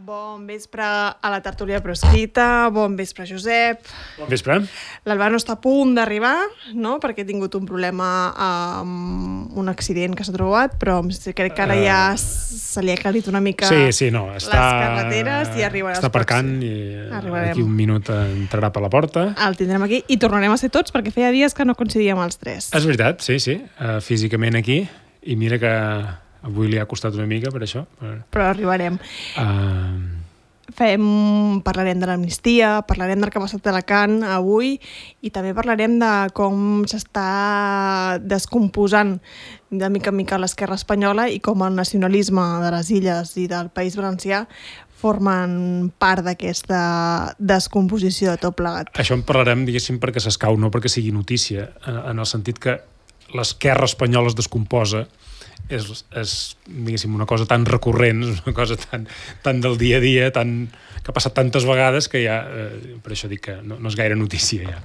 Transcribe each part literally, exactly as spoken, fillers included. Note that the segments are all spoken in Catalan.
Bon vespre a la tertúlia proscrita, bon vespre Josep. Bon vespre. L'Albano està a punt d'arribar, no? Perquè ha tingut un problema amb un accident que s'ha trobat, però crec que ara ja se li ha aclarit una mica sí, sí, no, està, les carreteres i arribarà. Està aparcant i arribarem. Aquí un minut entrarà per la porta. El tindrem aquí i tornarem a ser tots perquè feia dies que no coincidíem els tres. És veritat, sí, sí, uh, físicament aquí, i mira que avui li ha costat una mica per això. Per... Però arribarem. Uh... Fem, parlarem de l'amnistia, parlarem del que ha passat a Alacant avui i també parlarem de com s'està descomposant de mica en mica l'esquerra espanyola i com el nacionalisme de les illes i del País Valencià formen part d'aquesta descomposició de tot plegat. Això en parlarem, diguéssim, perquè s'escau, no perquè sigui notícia, en el sentit que l'esquerra espanyola es descomposa. És, és diguéssim, una cosa tan recurrent, una cosa tan, tan del dia a dia, tan, que ha passat tantes vegades que ja, eh, per això dic que no, no és gaire notícia ja.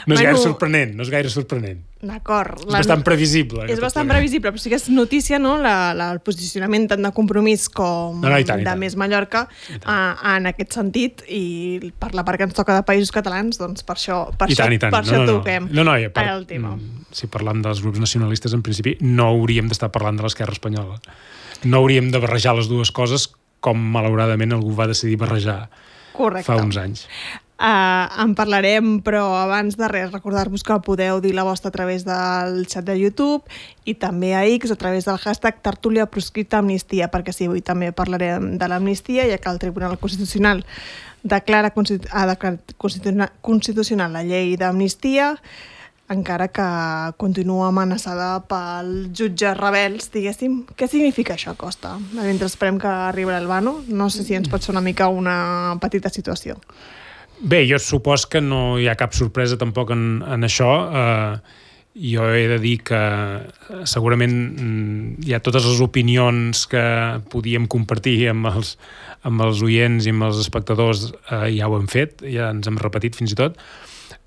No és bueno, gaire sorprenent, no és gaire sorprenent. D'acord. És bastant previsible. És bastant previsible, però sí que és notícia, no?, la, la, el posicionament tant de Compromís com no, no, tant, de Més Mallorca a, en aquest sentit, i per la part que ens toca de Països Catalans, doncs per això, per I això, tant, i tant. per això no, no, toquem no, no, ja, per, el tema. Si parlam dels grups nacionalistes, en principi, no hauríem d'estar parlant de l'esquerra espanyola. No hauríem de barrejar les dues coses com, malauradament, algú va decidir barrejar Correcte. Fa uns anys. Uh, en parlarem, però abans de res recordar-vos que podeu dir la vostra a través del xat de YouTube i també a X a través del hashtag tertúlia proscrita amnistia, perquè sí, avui també parlarem de l'amnistia, ja que el Tribunal Constitucional declara constitu- ha declarat constitucional, constitucional la llei d'amnistia, encara que continua amenaçada pel jutge rebels, diguéssim. Què significa això, Costa? Mentre esperem que arribi l'Albano, no sé si ens pot ser una mica una petita situació. Bé, jo supos que no hi ha cap sorpresa tampoc en, en això. Eh, jo he de dir que segurament hi ha totes les opinions que podíem compartir amb els, amb els oients i amb els espectadors, eh, ja ho hem fet, ja ens hem repetit fins i tot.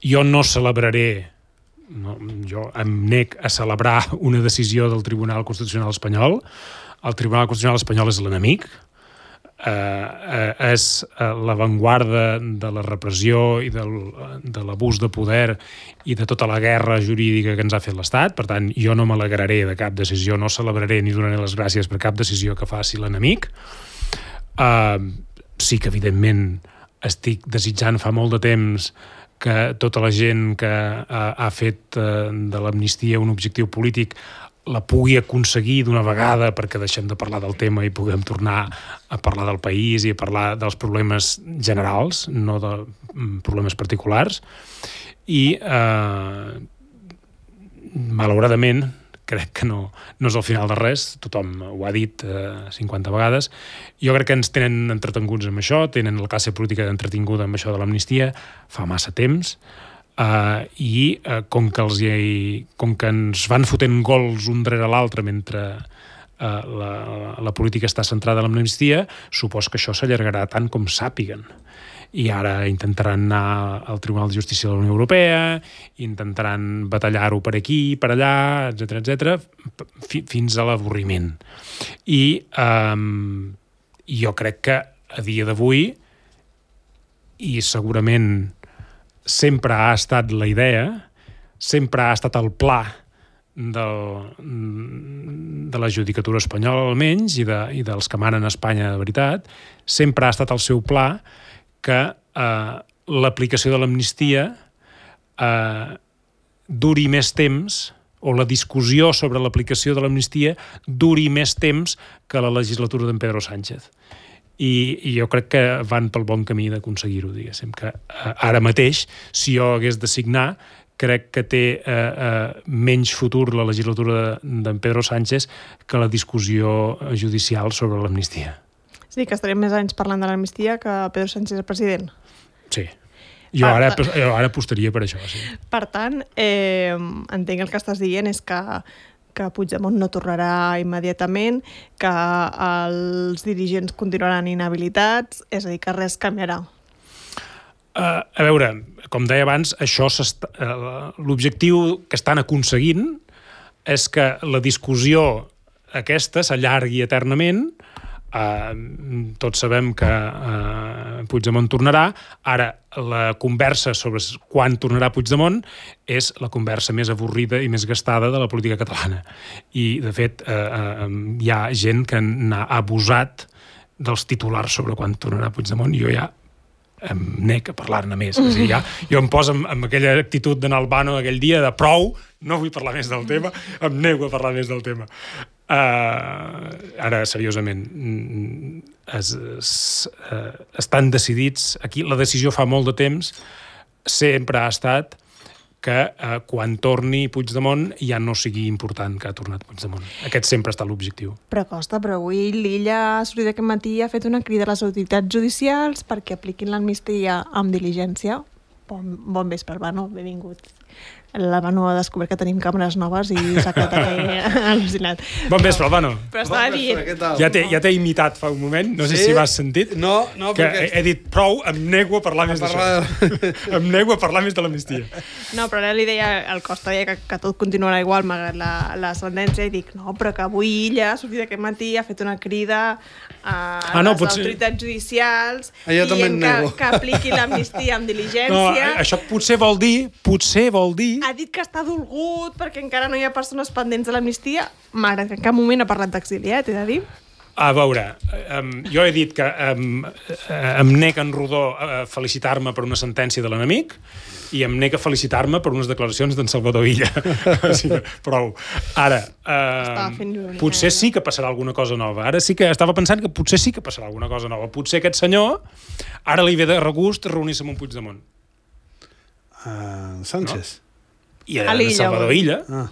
Jo no celebraré No, jo em nec a celebrar una decisió del Tribunal Constitucional espanyol. El Tribunal Constitucional espanyol és l'enemic, eh, eh, és l'avantguarda de la repressió i del, de l'abús de poder i de tota la guerra jurídica que ens ha fet l'Estat. Per tant, jo no m'alegraré de cap decisió, no celebraré ni donaré les gràcies per cap decisió que faci l'enemic. Eh, sí que, evidentment, estic desitjant fa molt de temps que tota la gent que ha, ha fet eh, de l'amnistia un objectiu polític la pugui aconseguir d'una vegada, perquè deixem de parlar del tema i puguem tornar a parlar del país i a parlar dels problemes generals, no de problemes particulars. I eh, malauradament crec que no, no és el final de res, tothom ho ha dit eh, cinquanta vegades. Jo crec que ens tenen entretenguts amb això, tenen la classe política entretinguda amb això de l'amnistia fa massa temps, eh, i eh, com, que els hi, com que ens van fotent gols un darrere l'altre mentre eh, la, la política està centrada en l'amnistia, supos que això s'allargarà tant com sàpiguen. I ara intentaran anar al Tribunal de Justícia de la Unió Europea, intentaran batallar-ho per aquí, per allà, etcètera, etcètera, fins a l'avorriment. I eh, jo crec que a dia d'avui, i segurament sempre ha estat la idea, sempre ha estat el pla del, de la judicatura espanyola almenys, i, de, i dels que manen a Espanya de veritat, sempre ha estat el seu pla que eh, l'aplicació de l'amnistia eh, duri més temps, o la discussió sobre l'aplicació de l'amnistia duri més temps que la legislatura d'en Pedro Sánchez. I, i jo crec que van pel bon camí d'aconseguir-ho, diguéssim, que eh, ara mateix, si jo hagués de signar, crec que té eh, eh, menys futur la legislatura d'en Pedro Sánchez que la discussió judicial sobre l'amnistia. Sí, que estarem més anys parlant de l'amnistia que Pedro Sánchez és president. Sí. Jo ara, jo ara apostaria per això, sí. Per tant, eh, entenc que el que estàs dient és que, que Puigdemont no tornarà immediatament, que els dirigents continuaran inhabilitats, és a dir, que res canviarà. Uh, a veure, com deia abans, això uh, l'objectiu que estan aconseguint és que la discussió aquesta s'allargui eternament. Uh, tots sabem que uh, Puigdemont tornarà. Ara, la conversa sobre quan tornarà Puigdemont és la conversa més avorrida i més gastada de la política catalana. I, de fet, uh, uh, hi ha gent que n'ha abusat dels titulars sobre quan tornarà Puigdemont i jo ja em nec a parlar-ne més. És a dir, ja, jo em poso amb, amb aquella actitud d'anar al Bano aquell dia de prou, no vull parlar més del tema, em nego a parlar més del tema. Uh, ara, seriosament, es, es, uh, estan decidits, aquí la decisió fa molt de temps, sempre ha estat que uh, quan torni Puigdemont ja no sigui important que ha tornat Puigdemont. Aquest sempre està l'objectiu. Però Costa, però avui l'Illa ha sortit aquest matí i ha fet una crida a les autoritats judicials perquè apliquin l'amnistia amb diligència. Bon, bon vespre, Bano, benvingut. La Bano ha descobert que tenim càmeres noves i s'ha quedat aquí al·lucinat. Bon vespre, Albano. Però estava bon dient... vespre, Ja t'he ja imitat fa un moment, no sé sí? si m'has sentit. No, no, que perquè... he, he dit prou, em nego a parlar a més d'això. De... em nego a parlar més de l'amnistia. No, però ara li deia, el Costa deia que, que tot continuarà igual malgrat la, la sentència i dic, no, però que avui Illa ha sortit aquest matí, ha fet una crida a ah, no, les potser... autoritats judicials ah, dient que, que apliqui l'amnistia amb diligència. No, això potser vol dir, potser vol dir... Ha dit que està dolgut perquè encara no hi ha persones pendents de l'amnistia, malgrat que en cap moment ha parlat d'exili, eh, t'he de dir. A veure, um, jo he dit que um, em nec en rodó a felicitar-me per una sentència de l'enemic i em nec a felicitar-me per unes declaracions d'en Salvador Illa. O sigui, prou. Ara, uh, potser sí que passarà alguna cosa nova. Ara sí que estava pensant que potser sí que passarà alguna cosa nova. Potser aquest senyor ara li ve de regust reunir-se amb un Puigdemont. Uh, Sánchez. No? I a Salvador Illa. Ah.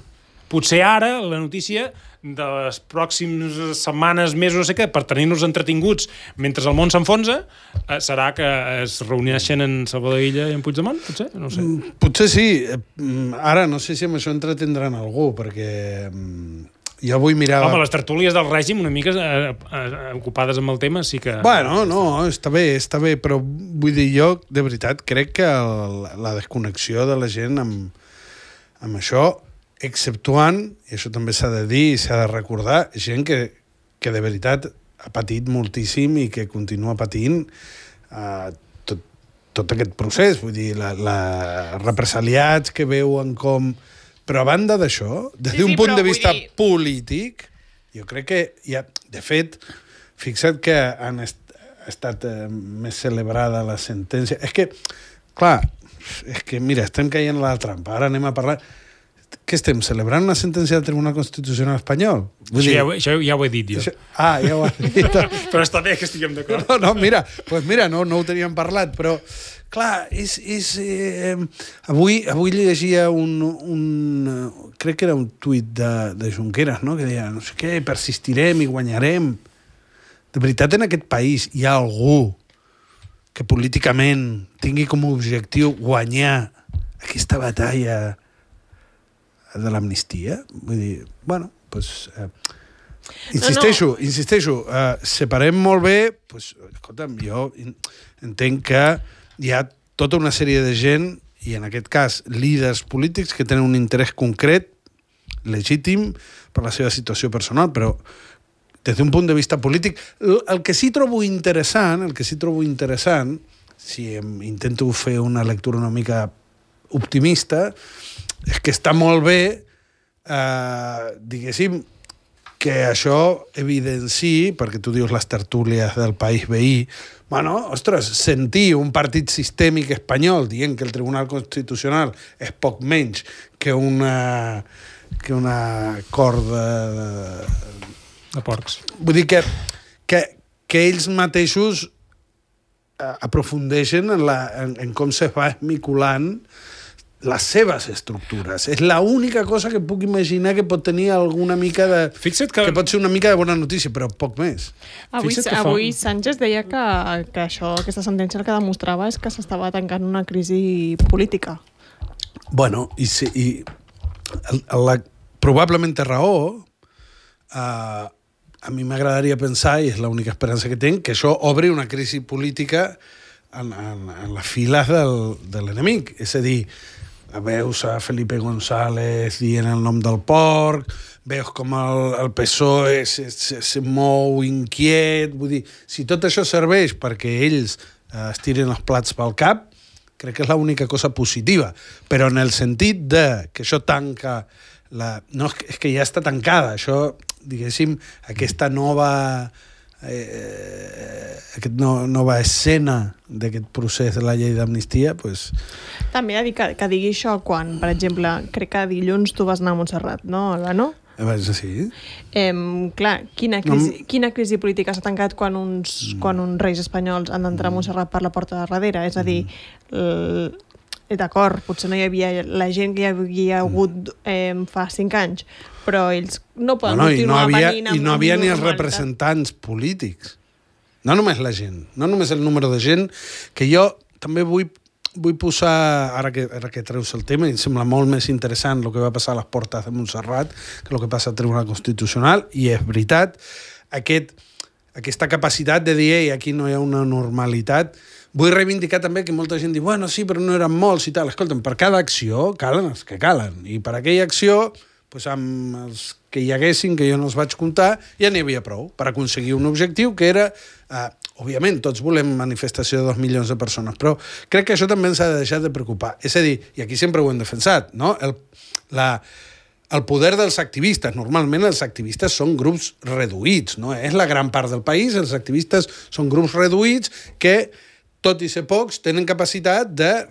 Potser ara la notícia de les pròximes setmanes, mesos, no sé què, per tenir-nos entretinguts mentre el món s'enfonsa, eh, serà que es reuneixen en Salvador Illa i en Puigdemont? Potser? No ho sé. Potser sí. Ara no sé si amb això entretindran algú, perquè jo vull mirar... Home, les tertúlies del règim una mica eh, eh, ocupades amb el tema sí que... Bueno, no, està bé, està bé, però vull dir, jo, de veritat, crec que el, la desconnexió de la gent amb, amb això, exceptuant, i això també s'ha de dir i s'ha de recordar, gent que, que de veritat ha patit moltíssim i que continua patint eh, tot, tot aquest procés, vull dir, la, la represaliats que veuen com... Però a banda d'això, des sí, d'un sí, punt de vista dir... polític, jo crec que hi ha, de fet, fixa't que han est estat eh, més celebrada la sentència. És que, clar, és que, mira, estem caient a la trampa. Ara anem a parlar... Què estem, celebrant una sentència del Tribunal Constitucional espanyol? Vull això, dir... ja, això ja ho he dit jo. Això... Ah, ja ho has dit. Però està bé que estiguem d'acord. No, no, mira, pues mira, no, no ho teníem parlat, però, clar, és... és eh, avui, avui llegia un, un... Crec que era un tuit de, de Junqueras, no?, que deia, no sé què, persistirem i guanyarem. De veritat, en aquest país hi ha algú que políticament tingui com a objectiu guanyar aquesta batalla de l'amnistia? Vull dir, bueno, doncs... Eh, insisteixo, no, no. insisteixo, eh, separem molt bé, doncs, escolta'm, jo entenc que hi ha tota una sèrie de gent, i en aquest cas líders polítics, que tenen un interès concret, legítim, per la seva situació personal, però des d'un punt de vista polític, el que sí trobo interessant, el que sí trobo interessant, si em intento fer una lectura una mica optimista, és que està molt bé, eh, diguéssim, que això evidenci, perquè tu dius les tertúlies del país veí, bueno, ostres, sentir un partit sistèmic espanyol dient que el Tribunal Constitucional és poc menys que una, que una corda de... de porcs. Vull dir que, que, que ells mateixos aprofundeixen en, la, en, en com se va esmiculant les seves estructures. És l'única cosa que puc imaginar que pot tenir alguna mica de... Fixa't que... que pot ser una mica de bona notícia, però poc més. Avui, avui fa... Sánchez deia que, que això, aquesta sentència el que demostrava és que s'estava tancant una crisi política. Bueno, i, si, i la probablement té raó, uh, a mi m'agradaria pensar, i és l'única esperança que tinc, que això obri una crisi política en, en, en les files del, de l'enemic. És a dir, veus a Felipe González dient el nom del porc, veus com el, el P S O E se, se, se mou inquiet, vull dir, si tot això serveix perquè ells eh, es tirin els plats pel cap, crec que és l'única cosa positiva, però en el sentit de que això tanca la... No, és que ja està tancada, això, diguéssim, aquesta nova... Eh, aquest no, nova escena d'aquest procés de la llei d'amnistia, pues... També ha dit que, que digui això quan, per exemple, crec que dilluns tu vas anar a Montserrat, no, Alba, no? Eh, sí. Eh, clar, quina crisi, no... quina crisi política s'ha tancat quan uns, mm. quan uns reis espanyols han d'entrar a Montserrat per la porta de darrere? És a dir, mm. d'acord, potser no hi havia la gent que hi havia hagut eh, fa cinc anys, però ells no poden no, no, continuar no havia, venint amb... I no havia ni els representants polítics. No només la gent, no només el número de gent, que jo també vull, vull posar, ara que, ara que treus el tema, i em sembla molt més interessant el que va passar a les portes de Montserrat que el que passa al Tribunal Constitucional, i és veritat, aquest, aquesta capacitat de dir, ei, aquí no hi ha una normalitat. Vull reivindicar també que molta gent diu, bueno, sí, però no eren molts i tal. Escolta'm, per cada acció calen els que calen. I per aquella acció, doncs amb els que hi haguessin, que jo no els vaig comptar, ja n'hi havia prou per aconseguir un objectiu que era, eh, òbviament, tots volem manifestació de dos milions de persones, però crec que això també ens ha de deixar de preocupar. És a dir, i aquí sempre ho hem defensat, no? El, la, el poder dels activistes. Normalment els activistes són grups reduïts, no? És la gran part del país, els activistes són grups reduïts que, tot i ser pocs, tenen capacitat de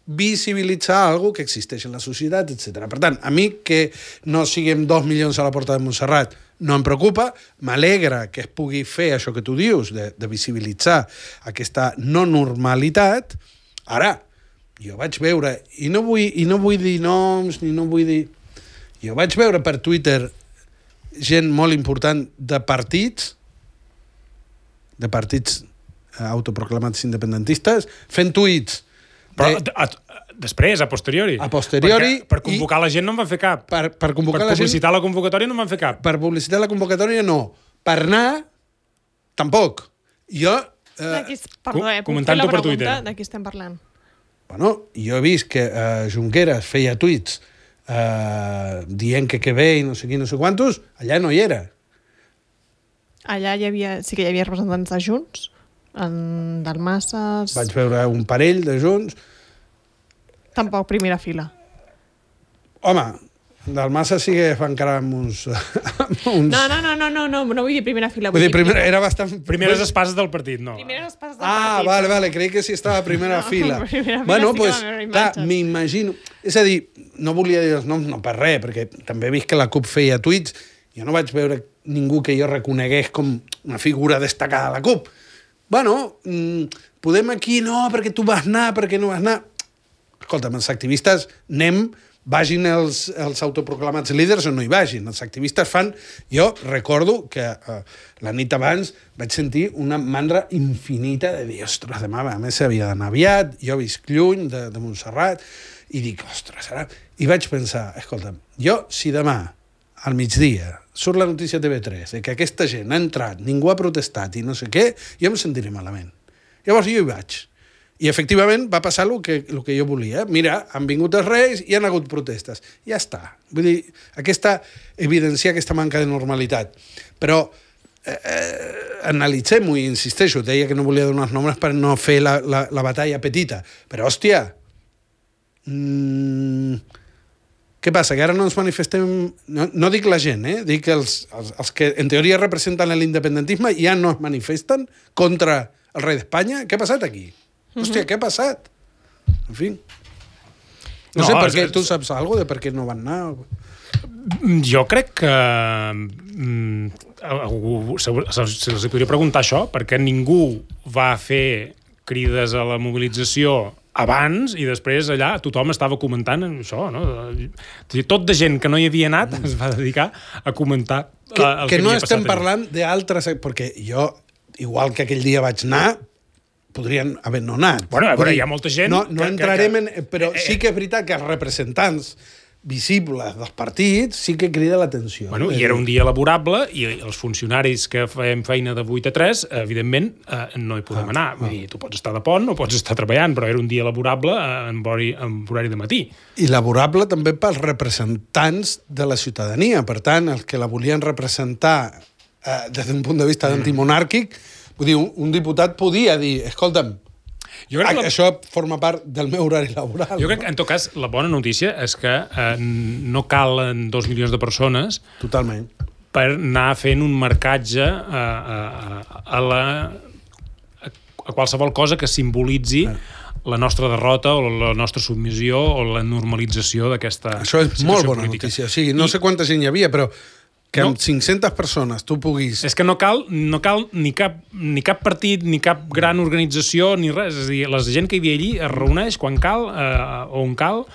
visibilitzar alguna que existeix en la societat, etcètera. Per tant, a mi que no siguem dos milions a la porta de Montserrat no em preocupa, m'alegra que es pugui fer això que tu dius, de, de visibilitzar aquesta no normalitat. Ara, jo vaig veure, i no vull, i no vull dir noms, ni no vull dir... Jo vaig veure per Twitter gent molt important de partits, de partits autoproclamats independentistes, fent tuits. Però de... a, a, després, a posteriori. A posteriori. Perquè per convocar i... la gent no en van fer cap. Per, per convocar per la gent... publicitar la convocatòria no en van fer cap. Per publicitar la convocatòria no. Per anar, tampoc. Jo... Eh, perdó, eh, comentant-ho per Twitter. De qui estem parlant? Bueno, jo he vist que eh, Junqueras feia tuits eh, dient que que bé i no sé qui, no sé quantos, allà no hi era. Allà hi havia, sí que hi havia representants de Junts, en Dalmases... Vaig veure un parell de Junts. Tampoc primera fila. Home, Dalmases sí que fa encara amb uns... Amb uns... No, no, no, no, no, no, no vull dir primera fila. Vull, vull dir, primera, era bastant... Primeres espases del partit, no. Primeres espases del ah, partit. Ah, vale, vale, creia que sí estava a primera no, fila. Primera bueno, fila pues, sí clar, m'imagino... És a dir, no volia dir els noms, no per res, perquè també he vist que la CUP feia tuits, jo no vaig veure ningú que jo reconegués com una figura destacada a la CUP. Bueno, mmm, podem aquí, no, perquè tu vas anar, perquè no vas anar... Escolta'm, els activistes anem, vagin els, els autoproclamats líders o no hi vagin. Els activistes fan... Jo recordo que eh, la nit abans vaig sentir una mandra infinita de dir, ostres, demà, a més s'havia d'anar aviat, jo visc lluny de, de Montserrat, i dic, ostres, ara... I vaig pensar, escolta'm, jo si demà, al migdia, surt la notícia a T V tres de que aquesta gent ha entrat, ningú ha protestat i no sé què, jo em sentiré malament. Llavors jo hi vaig. I efectivament va passar el que, el que jo volia. Mira, han vingut els reis i han hagut protestes. Ja està. Vull dir, aquesta evidencia aquesta manca de normalitat. Però eh, eh, analitzem-ho i insisteixo, deia que no volia donar els nombres per no fer la, la, la batalla petita. Però, hòstia, mmm, què passa? Que ara no ens manifestem... No, no dic la gent, eh? Dic els, els, els que en teoria representen l'independentisme i ja no es manifesten contra el rei d'Espanya. Què ha passat aquí? Uh-huh. Hòstia, què ha passat? En fi. No, no sé per què, tu saps alguna cosa de per què no van anar? Jo crec que... Algú, se, se els podria preguntar això, perquè ningú va fer crides a la mobilització abans i després allà tothom estava comentant això, no? Tot de gent que no hi havia anat es va dedicar a comentar que, el que, que no havia estem passat parlant d'altres... Perquè jo, igual que aquell dia vaig anar, podrien haver no anat. Bueno, a veure, hi ha molta gent... No, no que, entrarem que, en... Però sí que és veritat que els representants visibles dels partits sí que crida l'atenció. Bueno, i era un dia laborable i els funcionaris que fem feina de vuit a tres, evidentment, eh, no hi podem ah, anar. Vull dir, tu pots estar de pont o pots estar treballant, però era un dia laborable en horari, en horari de matí. I laborable també pels representants de la ciutadania. Per tant, els que la volien representar eh, des d'un punt de vista mm. antimonàrquic, vull dir, un, un diputat podia dir, escolta'm, jo crec que la... això forma part del meu horari laboral. Jo crec que, en tot cas, la bona notícia és que eh, no calen dos milions de persones Totalment. per anar fent un marcatge a, a, a, la, a qualsevol cosa que simbolitzi eh. la nostra derrota o la nostra submissió o la normalització d'aquesta Això és molt bona política. notícia. O sigui, no I... sé quanta gent hi havia, però que amb no. cinc-centes persones tu puguis... És que no cal, no cal ni, cap, ni cap partit, ni cap gran organització, ni res. És a dir, la gent que hi havia allí es reuneix quan cal, eh, on cal,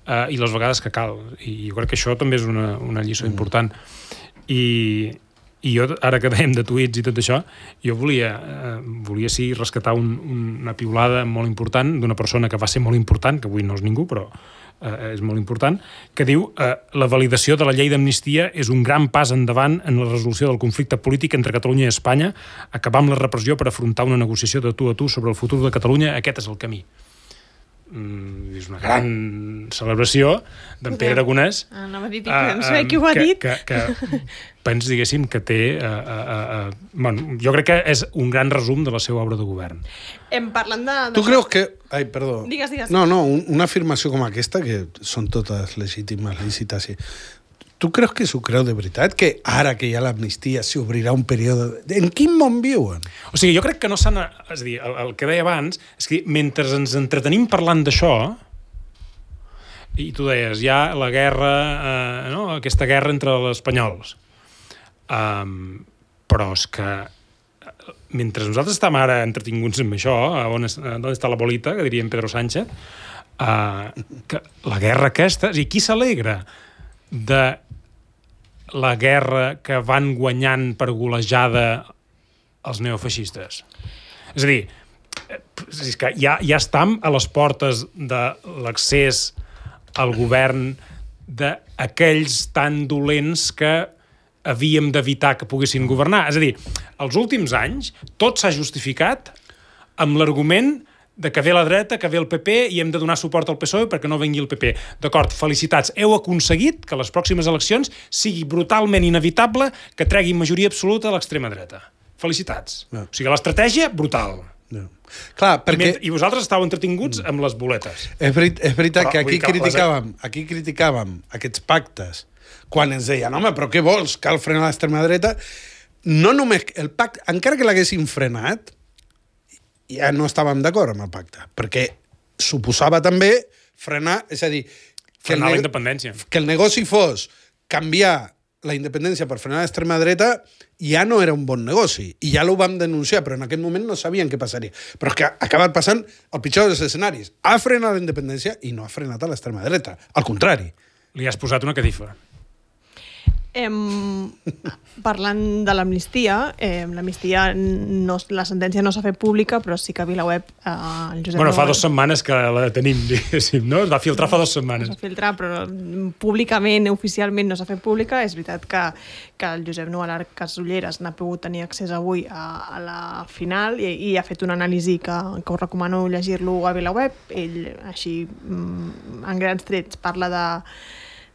eh, i les vegades que cal. I jo crec que això també és una, una lliçó mm. important. I, I jo, ara que dèiem de tuits i tot això, jo volia, eh, volia sí rescatar un, una piulada molt important d'una persona que va ser molt important, que avui no és ningú, però eh, és molt important, que diu eh, la validació de la llei d'amnistia és un gran pas endavant en la resolució del conflicte polític entre Catalunya i Espanya, acabar amb la repressió per afrontar una negociació de tu a tu sobre el futur de Catalunya, aquest és el camí. Mm, és una gran celebració d'en Pere Aragonès. Ah, no m'ha dit, uh, no sé qui ho ha que, dit. Que, que, pens, diguéssim, que té... Uh, uh, uh, bueno, jo crec que és un gran resum de la seva obra de govern. Em parlant de... Tu creus que... Ai, perdó. Digues, digues. No, no, un, una afirmació com aquesta, que són totes legítimes, lícites, sí. Tu creus que s'ho creu de veritat? Que ara que hi ha l'amnistia s'obrirà un període... En quin món viuen? O sigui, jo crec que no s'han... És a dir, el, el que deia abans és que mentre ens entretenim parlant d'això, i tu deies, hi ha la guerra, eh, no? aquesta guerra entre els espanyols. Um, però és que mentre nosaltres estem ara entretinguts amb això, on, és, on està la bolita, que diria en Pedro Sánchez, uh, que la guerra aquesta... És a dir, qui s'alegra de la guerra que van guanyant per golejada els neofeixistes? És a dir, és que ja, ja estem a les portes de l'accés al govern d'aquells tan dolents que havíem d'evitar que poguessin governar. És a dir, els últims anys tot s'ha justificat amb l'argument de que ve la dreta, que ve el P P i hem de donar suport al P S O E perquè no vengui el P P. D'acord, felicitats. Heu aconseguit que les pròximes eleccions sigui brutalment inevitable que tregui majoria absoluta a l'extrema dreta. Felicitats. No. O sigui, l'estratègia, brutal. No. Clar, perquè... I vosaltres estàveu entretinguts amb les boletes. És, veri és veritat però, que aquí criticàvem, aquí criticàvem aquests pactes quan ens deien, home, però què vols? Cal frenar l'extrema dreta. No només el pacte, encara que l'haguessin frenat, ja no estàvem d'acord amb el pacte, perquè suposava també frenar, és a dir... Frenar la independència. Que el negoci fos canviar la independència per frenar l'extrema dreta ja no era un bon negoci, i ja l'ho vam denunciar, però en aquest moment no sabien què passaria. Però és que ha acabat passant el pitjor dels escenaris. Ha frenat la independència i no ha frenat a l'extrema dreta. Al contrari. Li has posat una catifa. Em, parlant de l'amnistia, eh, l'amnistia, no, la sentència no s'ha fet pública, però sí que a VilaWeb eh, el Josep... Bueno, fa dues setmanes que la tenim, diguéssim, no? Es va filtrar fa dues setmanes. Es va filtrar, però públicament, oficialment no s'ha fet pública. És veritat que, que el Josep Nuala Casulleras n'ha pogut tenir accés avui a, a la final i, i ha fet una anàlisi que, que us recomano llegir-lo a VilaWeb. Ell, així, en grans trets, parla de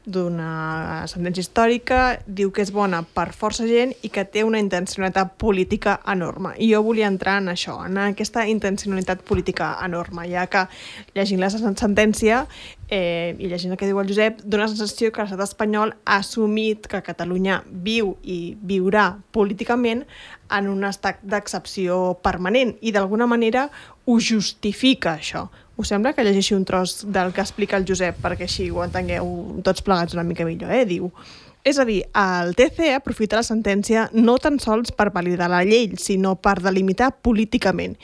d'una sentència històrica, diu que és bona per força gent i que té una intencionalitat política enorme. I jo volia entrar en això, en aquesta intencionalitat política enorme, ja que llegint la sentència eh, i llegint el que diu el Josep, dona la sensació que l'estat espanyol ha assumit que Catalunya viu i viurà políticament en un estat d'excepció permanent i d'alguna manera ho justifica, això. Us sembla que llegeixi un tros del que explica el Josep perquè així ho entengueu tots plegats una mica millor, eh? Diu, és a dir, el T C aprofita la sentència no tan sols per validar la llei, sinó per delimitar políticament.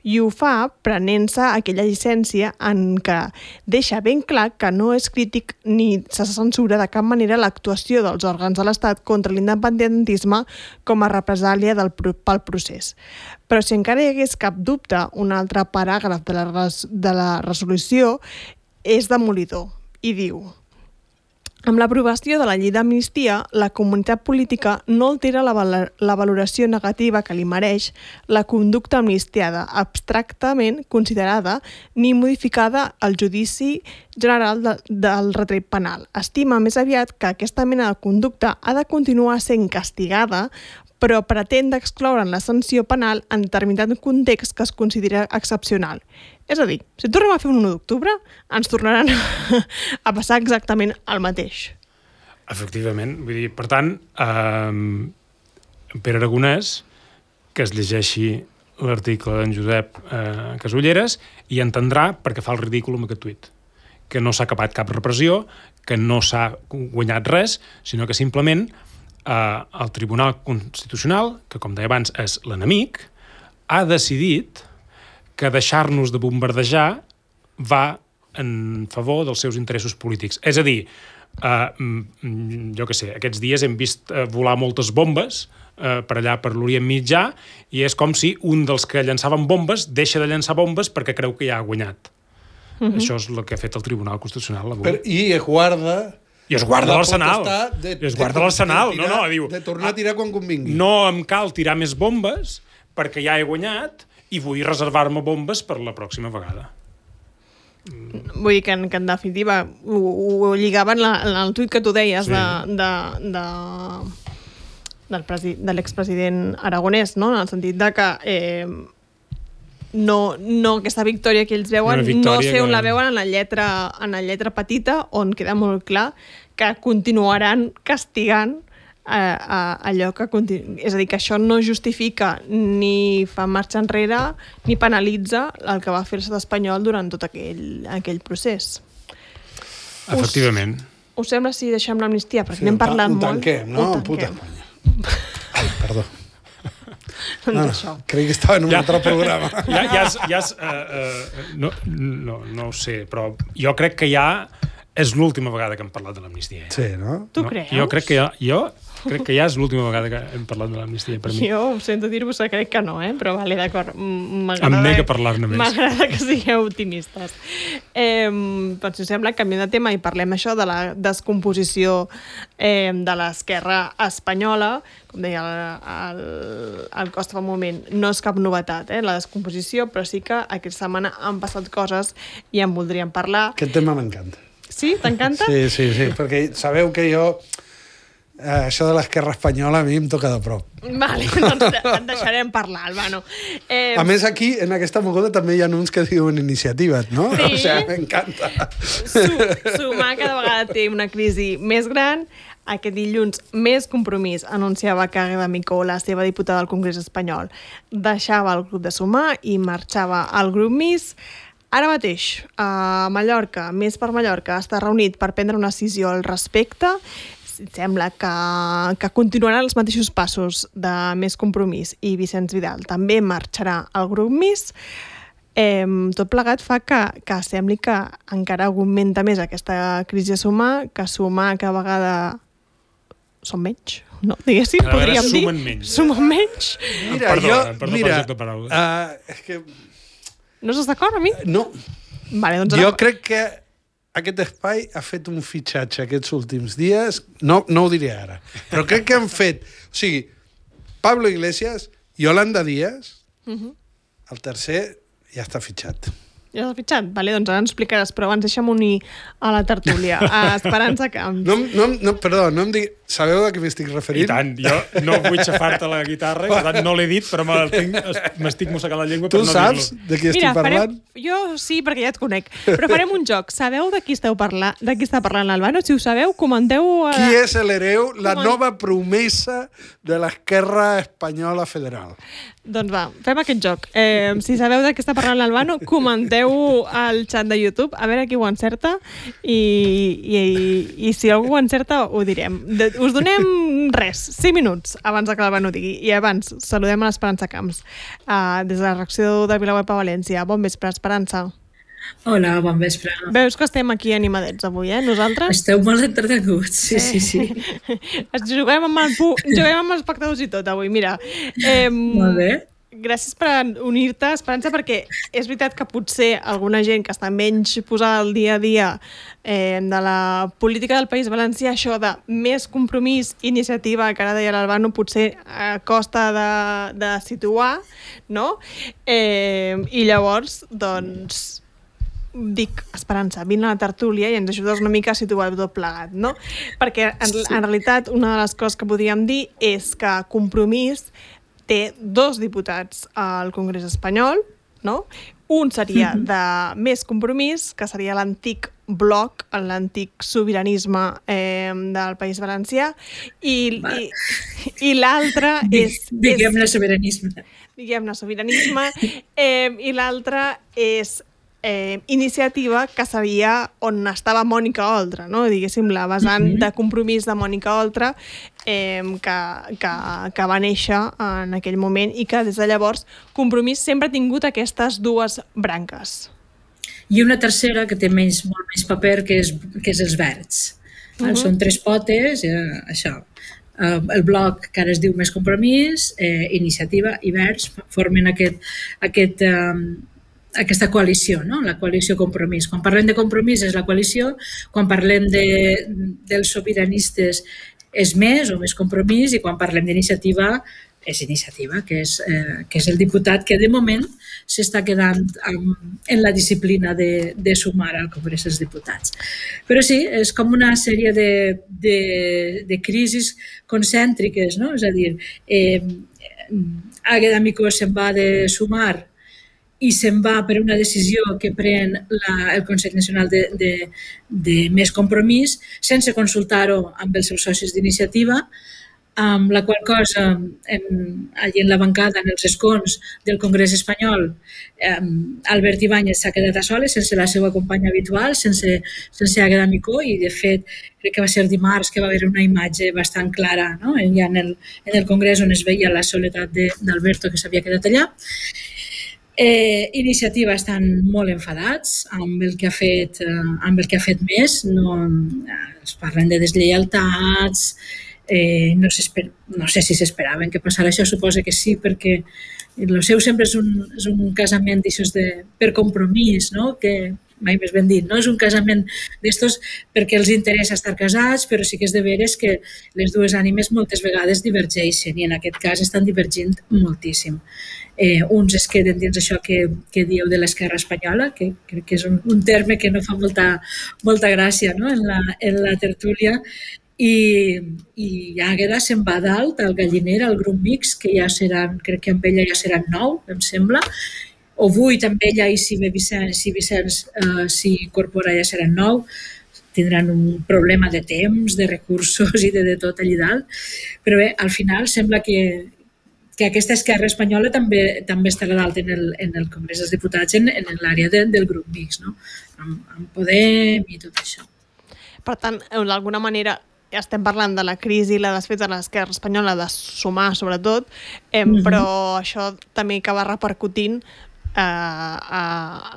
I ho fa prenent-se aquella llicència en què deixa ben clar que no és crític ni se censura de cap manera l'actuació dels òrgans de l'Estat contra l'independentisme com a represàlia del, pel procés. Però si encara hi hagués cap dubte, un altre paràgraf de la, res, de la resolució és demolidor i diu: Amb l'aprovació de la llei d'amnistia, la comunitat política no altera la, val la valoració negativa que li mereix la conducta amnistiada, abstractament considerada ni modificada al judici general de, del retret penal. Estima més aviat que aquesta mena de conducta ha de continuar sent castigada, però pretén d'excloure en la sanció penal en determinat context que es considera excepcional. És a dir, si tornem a fer un u d'octubre, ens tornaran a passar exactament el mateix. Efectivament. Vull dir, per tant, eh, Pere Aragonès, que es llegeixi l'article d'en Josep eh, Casulleres i entendrà perquè fa el ridícul amb aquest tuit. Que no s'ha acabat cap repressió, que no s'ha guanyat res, sinó que simplement eh, el Tribunal Constitucional, que com deia abans és l'enemic, ha decidit que deixar-nos de bombardejar va en favor dels seus interessos polítics. És a dir, eh, jo què sé, aquests dies hem vist eh, volar moltes bombes eh, per allà per l'Orient Mitjà i és com si un dels que llançaven bombes deixa de llançar bombes perquè creu que ja ha guanyat. Uh-huh. Això és el que ha fet el Tribunal Constitucional avui. Per, I es guarda... I es guarda l'arsenal. De, I es guarda l'arsenal. No, no, diu... De tornar a tirar quan convingui. No em cal tirar més bombes perquè ja he guanyat i vull reservar-me bombes per la pròxima vegada. Vull dir que en, que en definitiva ho, ho lligaven la, en el tuit que tu deies sí. de, de, de, del presi, de l'expresident Aragonès, no? En el sentit de que eh, no, no aquesta victòria que ells veuen, no sé on que... la veuen en la, lletra, en la lletra petita, on queda molt clar que continuaran castigant A, a, allò que continu... és a dir, que això no justifica ni fa marxa enrere ni penalitza el que va fer l'estat espanyol durant tot aquell, aquell procés. Efectivament. Us, us sembla si deixem l'amnistia? Perquè sí, n'hem parlat molt. Ho tanquem, no? Ho Puta Espanya. Ai, perdó. No, no, crec que estava en un ja, altre programa. Ja, ja és, ja és, uh, uh, no, no, no ho sé, però jo crec que ja és l'última vegada que hem parlat de l'amnistia. Sí, no? Tu no, creus? Jo crec que ja... Jo, Crec que ja és l'última vegada que hem parlat de l'amnistia per mi. Jo ho sento dir-vos, crec que no, eh? Però vale, d'acord. Em nega parlar-ne més. M'agrada que sigueu optimistes. Eh, doncs, si us sembla, canviem de tema i parlem això de la descomposició eh, de l'esquerra espanyola. Com deia el, el, el Costa fa un moment, no és cap novetat, eh, la descomposició, però sí que aquesta setmana han passat coses i en voldríem parlar. Aquest tema m'encanta. Sí? T'encanta? Sí, sí, sí, perquè sabeu que jo... Uh, això de l'esquerra espanyola a mi em toca de prop. Vale, doncs et deixarem parlar, Albano. Eh... A més, aquí, en aquesta moguda, també hi ha uns que diuen iniciatives, no? Sí. O sigui, m'encanta. Sumar cada vegada té una crisi més gran. Aquest dilluns, Més Compromís anunciava que Águeda Micó, la seva diputada al Congrés espanyol, deixava el grup de Sumar i marxava al grup Més. Ara mateix, a Mallorca, Més per Mallorca, està reunit per prendre una decisió al respecte. Sembla que, que continuaran els mateixos passos de Més Compromís i Vicenç Vidal també marxarà al grup Més. Eh, tot plegat fa que, que sembli que encara augmenta més aquesta crisi a Sumar, que Sumar cada vegada són menys, no? Diguéssim, cada podríem dir. Sumen menys. Sumen menys. Mira, perdó, jo, perdó mira, per paraules. Uh, és que... No estàs d'acord amb mi? No. Vale, doncs jo ara... crec que aquest espai ha fet un fitxatge aquests últims dies, no, no ho diré ara, però crec que han fet... O sigui, Pablo Iglesias, Yolanda Díaz, uh-huh. El tercer ja està fitxat. Ja s'ha fitxat? Vale, doncs ara ens explicaràs, però abans deixa'm unir a la tertúlia, a Esperança Camps. No, no, no, perdó, no em digui... Sabeu a què m'estic referint? I tant, jo no vull xafar-te la guitarra, per tant no l'he dit, però m'estic mossegant la llengua per tu no dir-lo. Tu saps de qui estic Mira, parlant? Farem... Jo sí, perquè ja et conec. Però farem un joc. Sabeu de qui esteu parlant? De qui està parlant l'Albano? Si ho sabeu, comenteu... A... Qui és l'hereu? La Coment... nova promesa de l'esquerra espanyola federal. Doncs va, fem aquest joc. Eh, si sabeu de què està parlant l'Albano, comenteu al xat de YouTube, a veure qui ho encerta, i, i, i, i si algú ho encerta, ho direm. De, us donem res, cinc minuts abans que l'Albano digui. I abans, saludem a l'Esperança Camps. Uh, des de la reacció de Vilaweb a València. Bon vespre, Esperança. Hola, bon vespre. Veus que estem aquí animadets avui, eh? Nosaltres? Esteu molt entretinguts, sí, sí, sí. Juguem amb, el pu... Juguem amb els espectadors i tot avui, mira. Eh, molt bé. gràcies per unir-te, Esperança, perquè és veritat que potser alguna gent que està menys posada al dia a dia eh, de la política del País Valencià, això de més compromís, iniciativa, que ara deia l'Albano, potser eh, costa de, de situar, no? Eh, I llavors, doncs, dic, Esperança, vine a la tertúlia i ens ajudes una mica a situar tot plegat, no? Perquè en, en realitat una de les coses que podríem dir és que Compromís té dos diputats al Congrés espanyol, no? Un seria de Més Compromís, que seria l'antic bloc, l'antic sobiranisme eh, del País Valencià, i, i, i l'altre és... Diguem-ne sobiranisme. Diguem-ne sobiranisme, eh, i l'altre és Eh, iniciativa, que seria on estava Mònica Oltra, no? Diguéssim, la vessant mm-hmm. de Compromís de Mònica Oltra, eh, que, que, que va néixer en aquell moment i que des de llavors Compromís sempre ha tingut aquestes dues branques. I una tercera que té menys, molt més paper, que és, que és els Verds. Mm-hmm. Són tres potes, eh, això. Uh, el bloc que ara es diu Més Compromís, eh, Iniciativa i Verds formen aquest... aquest um, aquesta coalició, no? La coalició Compromís. Quan parlem de Compromís és la coalició, quan parlem de, dels sobiranistes és Més o Més Compromís, i quan parlem d'iniciativa és Iniciativa, que és, eh, que és el diputat que de moment s'està quedant um, en la disciplina de, de sumar al Congrés dels Diputats. Però sí, és com una sèrie de, de, de crisis concèntriques, no? És a dir, eh, Águeda Micó se'n va de sumar i se'n va per una decisió que pren la, el Consell Nacional de, de, de Més Compromís sense consultar-ho amb els seus socis d'iniciativa, amb la qual cosa en, allí en la bancada, en els escons del Congrés espanyol, eh, Albert Ibáñez s'ha quedat a soles sense la seva companya habitual, sense, sense Águeda Micó, i de fet crec que va ser dimarts que va haver una imatge bastant clara, no? Ja en el, en el Congrés on es veia la soledat d'Alberto, que s'havia quedat allà. Eh, iniciativa estan molt enfadats amb el que ha fet, eh, amb el que ha fet Més, no, es parlen de deslleialtats, eh, no, no sé si s'esperaven que passara això, suposo que sí, perquè el seu sempre és un, és un casament de, per compromís, no? Que mai més ben dit, no? És un casament d'estos perquè els interessa estar casats, però sí que és de veres que les dues ànimes moltes vegades divergeixen, i en aquest cas estan divergint moltíssim. Eh, uns es queden dins això que, que dieu de l'esquerra espanyola, que crec que és un, un terme que no fa molta, molta gràcia, no? en, la, en la tertúlia, i, i Águeda se'n va dalt al galliner, al grup mixt, que ja seran, crec que amb ella ja seran nou, em sembla, o vuit amb ella, i si ve Vicenç, si Vicenç eh, s'hi incorpora ja seran nou, tindran un problema de temps, de recursos i de, de tot allà dalt, però bé, al final sembla que que aquesta esquerra espanyola també també estarà dalt en el, en el Congrés dels Diputats, en, en l'àrea de, del grup mixt, no? amb, amb Podem i tot això. Per tant, d'alguna manera, estem parlant de la crisi i la desfeta de l'esquerra espanyola, de sumar sobretot, eh, mm-hmm. però això també acaba repercutint eh, a,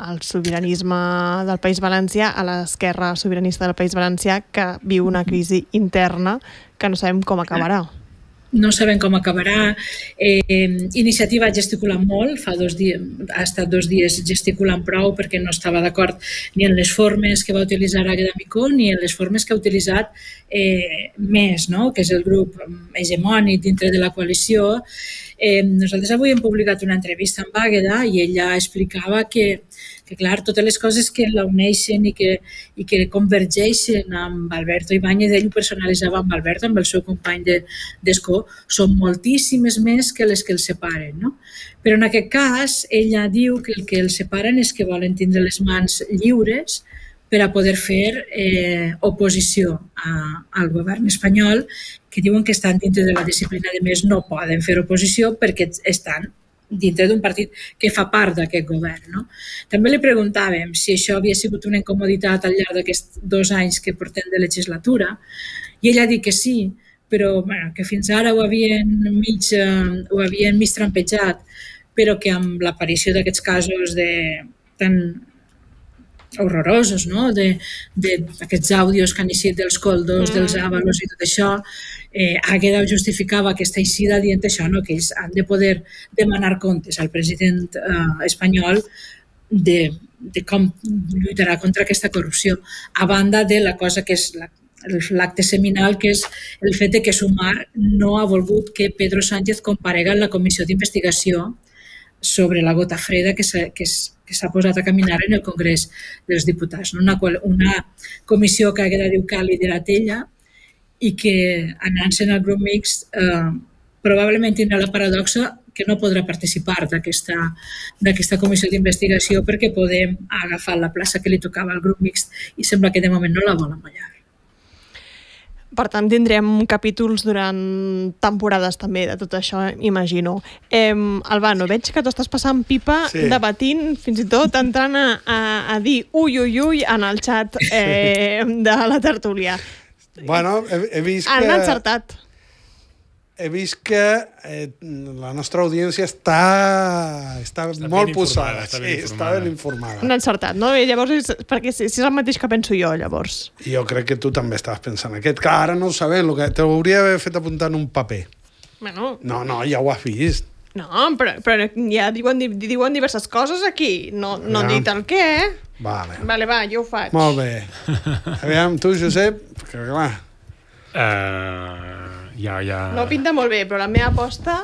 al sobiranisme del País Valencià, a l'esquerra sobiranista del País Valencià, que viu una crisi interna que no sabem com acabarà. No sabem com acabarà. Eh, Iniciativa ha gesticulat molt, fa dos dies, ha estat dos dies gesticulant prou perquè no estava d'acord ni en les formes que va utilitzar Águeda Micó ni en les formes que ha utilitzat eh, Més, no? Que és el grup hegemònic dintre de la coalició. Eh, nosaltres avui hem publicat una entrevista amb Águeda i ella explicava que que clar, totes les coses que la uneixen i que, i que convergeixen amb Alberto Ibáñez, ell ho personalitzava amb Alberto, amb el seu company d'escó, són moltíssimes més que les que els separen, no? Però en aquest cas, ella diu que el que els separen és que volen tindre les mans lliures per a poder fer eh, oposició a, al govern espanyol, que diuen que estan dintre de la disciplina de Més, no poden fer oposició perquè estan dintre d'un partit que fa part d'aquest govern. No? També li preguntàvem si això havia sigut una incomoditat al llarg d'aquests dos anys que portem de legislatura, i ella ha dit que sí, però bueno, que fins ara ho havien mig, eh, ho havien mig trampejat, però que amb l'aparició d'aquests casos de, tan horrorosos, no? de, de aquests àudios que han eixit dels coldos, dels àvalos i tot això, eh, Águeda justificava aquesta eixida dient això, no? Que ells han de poder demanar comptes al president eh, espanyol de, de com lluitarà contra aquesta corrupció, a banda de la cosa que és la l'acte seminal, que és el fet de que Sumar no ha volgut que Pedro Sánchez comparega en la comissió d'investigació sobre la gota freda que s'ha que que s'ha posat a caminar en el Congrés dels Diputats. Una, una comissió que Águeda diu que ha liderat ella i que, anant-se'n al grup mixt, eh, probablement tindrà la paradoxa que no podrà participar d'aquesta comissió d'investigació perquè Podem ha agafat la plaça que li tocava al grup mixt i sembla que de moment no la volen ballar. Per tant, tindrem capítols durant temporades també de tot això, imagino. Eh, Albano, veig que tu estàs passant pipa sí. debatint, fins i tot entrant a, a, a dir ui, ui, ui en el xat eh, de la tertúlia. Bueno, he, he vist que... Han encertat. He vist que eh, la nostra audiència està, està, està molt posada. Està ben, sí, està ben informada. Han encertat, no? I llavors, és, perquè si, si és el mateix que penso jo, llavors. Jo crec que tu també estaves pensant aquest, que ara no ho sabem, que t'hauria d'haver fet apuntar en un paper. Bueno. No, no, ja ho has vist. No, però, però ja diuen, diuen diverses coses aquí. No, no ja. Han dit el què, eh? Vale. Vale, va, jo ho faig. Molt bé. Aviam, tu, Josep, que clar... Uh... Ja, ja... No pinta molt bé, però la meva aposta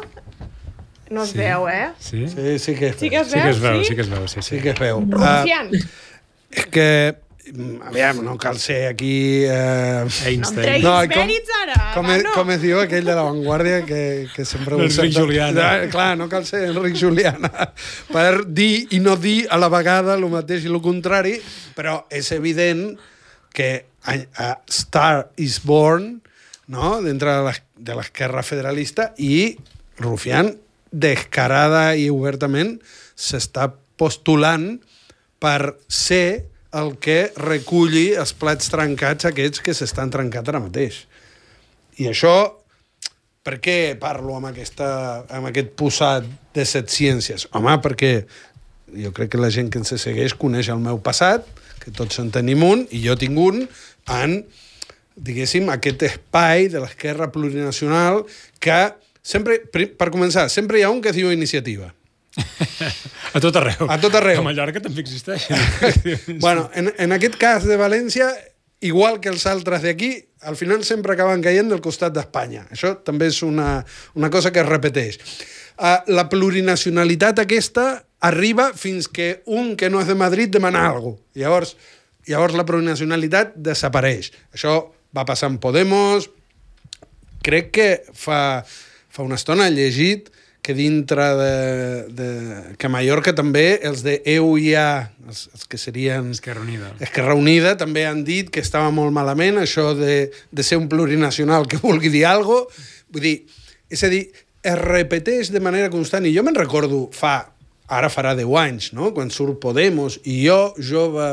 no es sí. veu, eh? Sí? Sí, sí que es veu. Sí que es veu, sí? Que es veu, sí? sí que es veu, sí, sí. Sí que es veu. Rufián. Uh, és que, aviam, no cal ser aquí... Uh... Einstein. No em treguis no, mèrits ara, com, no. Com es diu aquell de La Vanguardia que, que sempre... Enric Juliana. No, clar, no cal ser Enric Juliana per dir i no dir a la vegada el mateix i el contrari, però és evident que a Star is Born, no? Dintre de l'esquerra federalista, i Rufián descarada i obertament s'està postulant per ser el que reculli els plats trencats aquests que s'estan trencant ara mateix. I això, per què parlo amb, aquesta, amb aquest posat de set ciències? Home, perquè jo crec que la gent que ens segueix coneix el meu passat, que tots en tenim un, i jo tinc un, en... diguéssim, aquest espai de l'esquerra plurinacional que sempre, per començar, sempre hi ha un que es diu iniciativa. A tot arreu. A tot arreu. A Mallorca també existeix. Bueno, en, en aquest cas de València, igual que els altres d'aquí, al final sempre acaben caient del costat d'Espanya. Això també és una, una cosa que es repeteix. Uh, la plurinacionalitat aquesta arriba fins que un que no és de Madrid demana alguna cosa. Llavors, llavors la plurinacionalitat desapareix. Això va passar amb Podemos. Crec que fa, fa una estona he llegit que dintre de, de... que a Mallorca també els de E U I A, els, els que serien... Esquerra Unida. Esquerra Unida, també han dit que estava molt malament això de, de ser un plurinacional que vulgui dir alguna cosa. Vull dir, és a dir, es repeteix de manera constant. I jo me'n recordo fa... Ara farà deu anys, no? Quan surt Podemos, i jo, jove,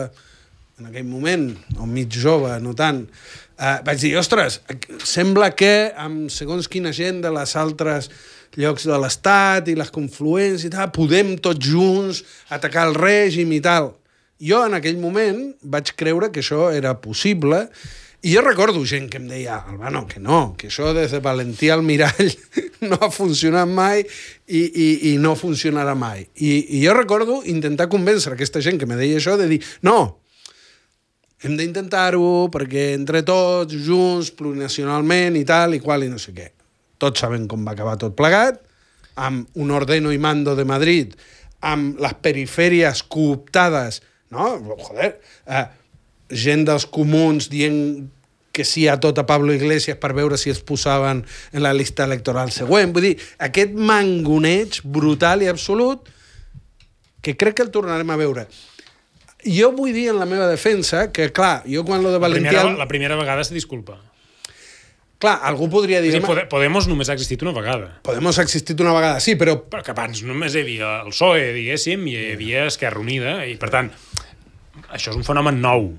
en aquell moment, o mig jove, no tant... Uh, vaig dir, ostres, sembla que amb segons quina gent de les altres llocs de l'Estat i les confluents i tal, podem tots junts atacar el règim i tal. Jo en aquell moment vaig creure que això era possible i jo recordo gent que em deia, Albano, que no, que això des de Valentí al mirall no ha funcionat mai i, i, i no funcionarà mai. I, I jo recordo intentar convèncer aquesta gent que me deia això de dir, no, hem d'intentar-ho perquè entre tots, junts, plurinacionalment i tal, i qual, i no sé què. Tots sabem com va acabar tot plegat, amb un ordeno i mando de Madrid, amb les perifèries cooptades, no? Joder, eh, gent dels comuns dient que sí a tot a Pablo Iglesias per veure si es posaven en la llista electoral següent. Vull dir, aquest mangoneig brutal i absolut que crec que el tornarem a veure. Jo vull dir en la meva defensa que, clar, jo quan lo de Valentí... La primera, la primera vegada se disculpa. Clar, algú podria dir... Sí, Podemos només ha existit una vegada. Podemos ha existit una vegada, sí, però... Però que abans només hi havia el P S O E, diguéssim, i hi havia Esquerra Unida, i per tant, això és un fenomen nou.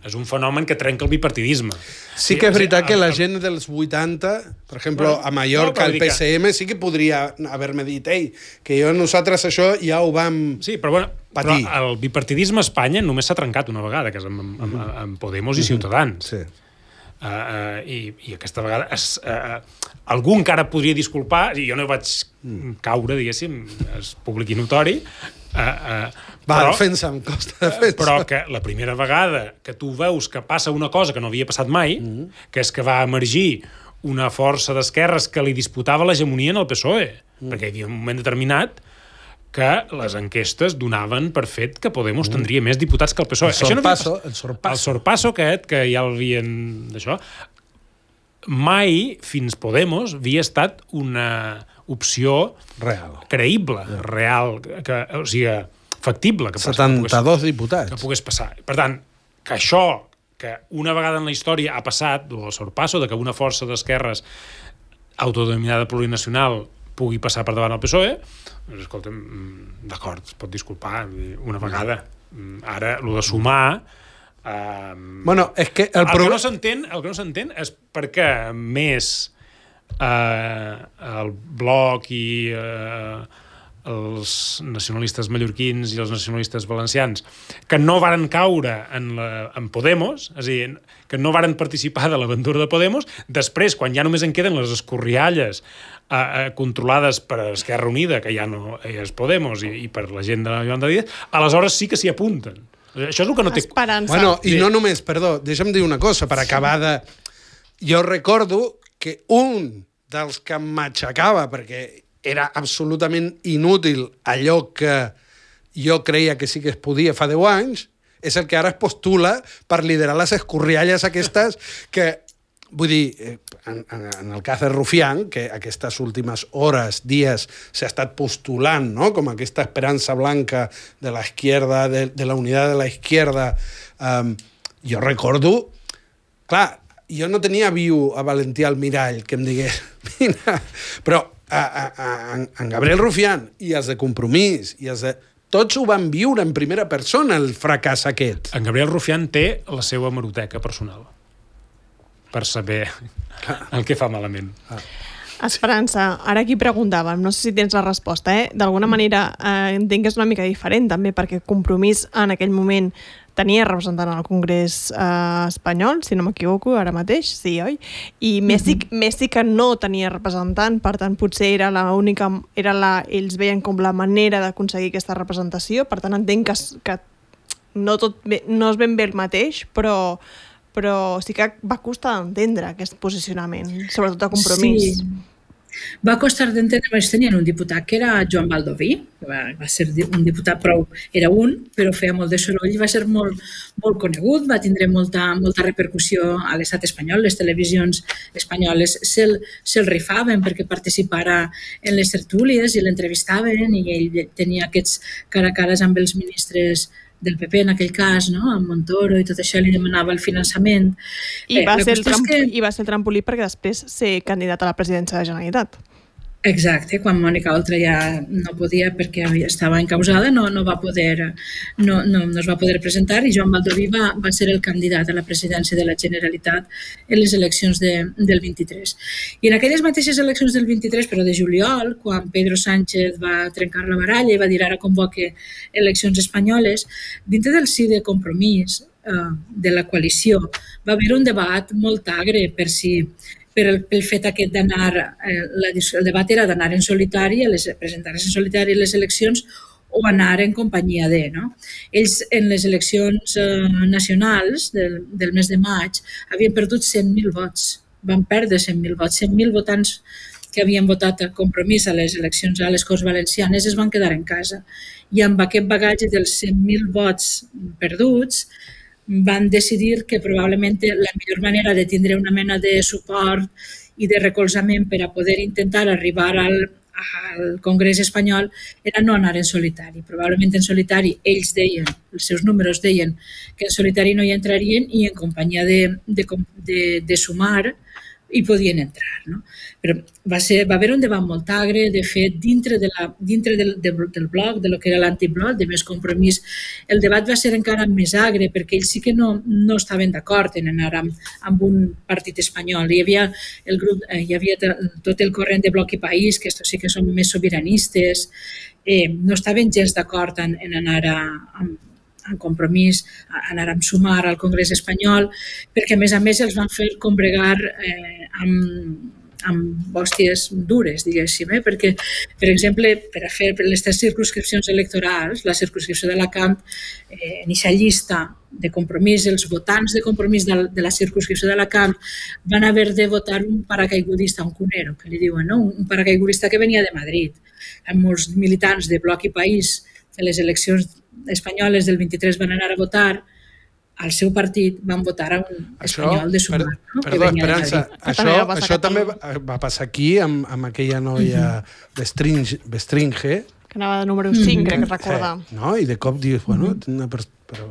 És un fenomen que trenca el bipartidisme. Sí que és veritat que la gent dels vuitanta, per exemple, a Mallorca, el P S M, sí que podria haver-me dit, ei, que jo nosaltres això ja ho vam sí, però, bueno, patir. Però el bipartidisme a Espanya només s'ha trencat una vegada, que és amb, amb, amb Podemos i Ciutadans. Sí. Uh, uh, i, i aquesta vegada es, uh, algú encara podria disculpar, i jo no vaig caure, diguéssim, és públic i notori, uh, uh, va, però, defensa, em costa defensa. però que la primera vegada que tu veus que passa una cosa que no havia passat mai, mm. que és que va emergir una força d'esquerres que li disputava l'hegemonia en el P S O E, mm. perquè hi havia un moment determinat que les enquestes donaven per fet que Podemos tindria més diputats que el P S O E. El sorpasso, no el sorpasso. El sorpasso aquest, que ja l'havien d'això, mai fins Podemos havia estat una opció real, creïble, yeah. real, que, o sigui, factible. Que setanta-dos diputats. Que pogués passar. Per tant, que això, que una vegada en la història ha passat, el sorpasso, de que una força d'esquerres autodenominada plurinacional pugui passar per davant el P S O E, doncs, escolta'm, d'acord, es pot disculpar una vegada. Ara, el de sumar... Eh, bueno, és que... El, el, pro... que no s'entén, el que no s'entén és perquè més eh, el Bloc i eh, els nacionalistes mallorquins i els nacionalistes valencians, que no varen caure en, la, en Podemos, és a dir, que no varen participar de l'aventura de Podemos, després, quan ja només en queden les escorrialles eh, eh, controlades per Esquerra Unida, que ja no és Podemos, i, i per la gent de Yolanda Díaz, aleshores sí que s'hi apunten. Això és el que no té... Esperança. Bueno, i no només, perdó, deixa'm dir una cosa, per acabar de... Jo recordo que un dels que em matxacava, perquè era absolutament inútil allò que jo creia que sí que es podia fa deu anys, és el que ara es postula per liderar les escorrialles aquestes que, vull dir, en, en el cas de Rufián, que aquestes últimes hores, dies, s'ha estat postulant, no?, com aquesta esperança blanca de la izquierda, de, de la unitat de la izquierda, um, jo recordo, clar, jo no tenia viu a Valentí Almirall que em digués, mira, però a, a, a, en Gabriel Rufián i els de Compromís i els de... Tots ho van viure en primera persona, el fracàs aquest. En Gabriel Rufián té la seva hemeroteca personal per saber el que fa malament. Ah. Esperança, ara aquí preguntàvem, no sé si tens la resposta, eh? D'alguna manera eh, entenc que és una mica diferent també, perquè Compromís en aquell moment tenia representant al Congrés eh, espanyol, si no m'equivoco, ara mateix, sí, oi? I Messi, mm-hmm. Messi que no tenia representant, per tant, potser era la única, era la, ells veien com la manera d'aconseguir aquesta representació, per tant, entenc que, que no, tot bé, no és ben bé el mateix, però, però sí que va costar d'entendre aquest posicionament, sobretot a Compromís. Sí. Va costar d'entendre, però tenien un diputat que era Joan Baldoví, que va, va ser un diputat prou, era un, però feia molt de soroll i va ser molt, molt conegut, va tindre molta, molta repercussió a l'estat espanyol, les televisions espanyoles se'l se rifaven perquè participara en les tertúlies i l'entrevistaven i ell tenia aquests cara a cares amb els ministres del P P en aquell cas, no? Amb Montoro i tot això, li demanava el finançament. I, eh, va ser el tramp- que... I va ser el trampolí perquè després ser candidat a la presidència de la Generalitat. Exacte, quan Mònica Oltra ja no podia perquè estava encausada, no, no, va poder, no, no, no es va poder presentar i Joan Baldoví va, va ser el candidat a la presidència de la Generalitat en les eleccions de, del vint-i-tres. I en aquelles mateixes eleccions del vint-i-tres, però de juliol, quan Pedro Sánchez va trencar la baralla i va dir ara convoque eleccions espanyoles, dintre del sí de Compromís eh, de la coalició va haver un debat molt agre per si per el, pel fet aquest d'anar, eh, la, el debat era d'anar en solitari, les, presentar-se en solitari a les eleccions o anar en companyia de, no? Ells en les eleccions eh, nacionals del, del mes de maig havien perdut cent mil vots, van perdre cent mil vots, cent mil votants que havien votat a Compromís a les eleccions a les Corts Valencianes es van quedar en casa i amb aquest bagatge dels cent mil vots perduts van decidir que probablement la millor manera de tindre una mena de suport i de recolzament per a poder intentar arribar al, al Congrés espanyol era no anar en solitari. Probablement en solitari ells deien, els seus números deien que en solitari no hi entrarien i en companyia de, de, de, de Sumar hi podien entrar. No? Però va, ser, va haver un debat molt agre, de fet, dintre, de la, dintre del, del, del bloc, de lo que era l'antibloc, de Més Compromís, el debat va ser encara més agre perquè ells sí que no, no estaven d'acord en anar amb, amb un partit espanyol. Hi havia, el grup, hi havia tot el corrent de Bloc i País, que estos sí que són més sobiranistes, eh, no estaven gens d'acord en, en anar a, amb, en Compromís anàrem sumar al Congrés espanyol, perquè a més a més els van fer combregar eh, amb amb hòsties dures, diguéssim, eh? Perquè, per exemple, per a fer les tres circumscripcions electorals, la circumscripció d'Alacant, eh, en aquesta llista de Compromís, els votants de Compromís de, de la circumscripció d'Alacant van haver de votar un paracaigudista, un cunero, que li diuen, no? Un paracaigudista que venia de Madrid. Amb molts militants de Bloc i País, en les eleccions espanyoles del vint-i-tres van anar a votar, al seu partit van votar a un espanyol de Sumar. Per, no? Perdó, Esperança, això, això també va, va passar aquí amb, amb aquella noia Bestringe, Bestringe. Que anava de número cinc, crec que recordar. Eh, no? I de cop dius, bueno, una per... però...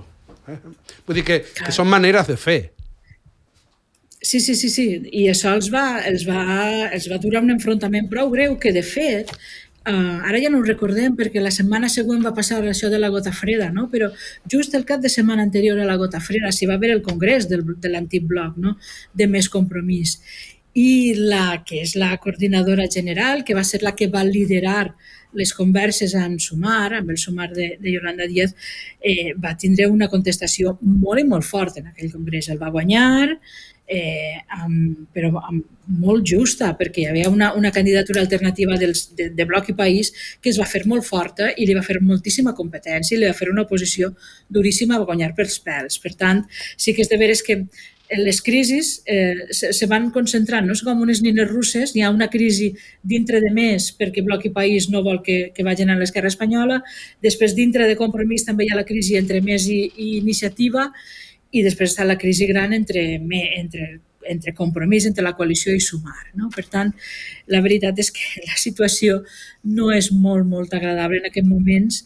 Eh? Vull dir que, que són maneres de fer. Sí, sí, sí, sí. I això els va, els va, els va durar un enfrontament prou greu que, de fet, Uh, ara ja no ho recordem perquè la setmana següent va passar això de la gota freda, no? Però just el cap de setmana anterior a la gota freda s'hi va haver el congrés del, de l'antic bloc, no? De Més Compromís. I la que és la coordinadora general, que va ser la que va liderar les converses en Sumar, amb el Sumar de, de Yolanda Díaz, eh, va tindre una contestació molt i molt forta en aquell congrés. El va guanyar, eh, amb, però amb, molt justa, perquè hi havia una, una candidatura alternativa dels, de, de Bloc i País que es va fer molt forta i li va fer moltíssima competència i li va fer una oposició duríssima a guanyar pels pèls. Per tant, sí que és de veres que les crisis eh, se, se van concentrant, no és com unes nines russes, hi ha una crisi dintre de Més perquè Bloc i País no vol que, que vagin a l'esquerra espanyola, després dintre de Compromís també hi ha la crisi entre Més i, i Iniciativa, i després està la crisi gran entre, entre, entre Compromís, entre la coalició i Sumar. No? Per tant, la veritat és que la situació no és molt, molt agradable en aquests moments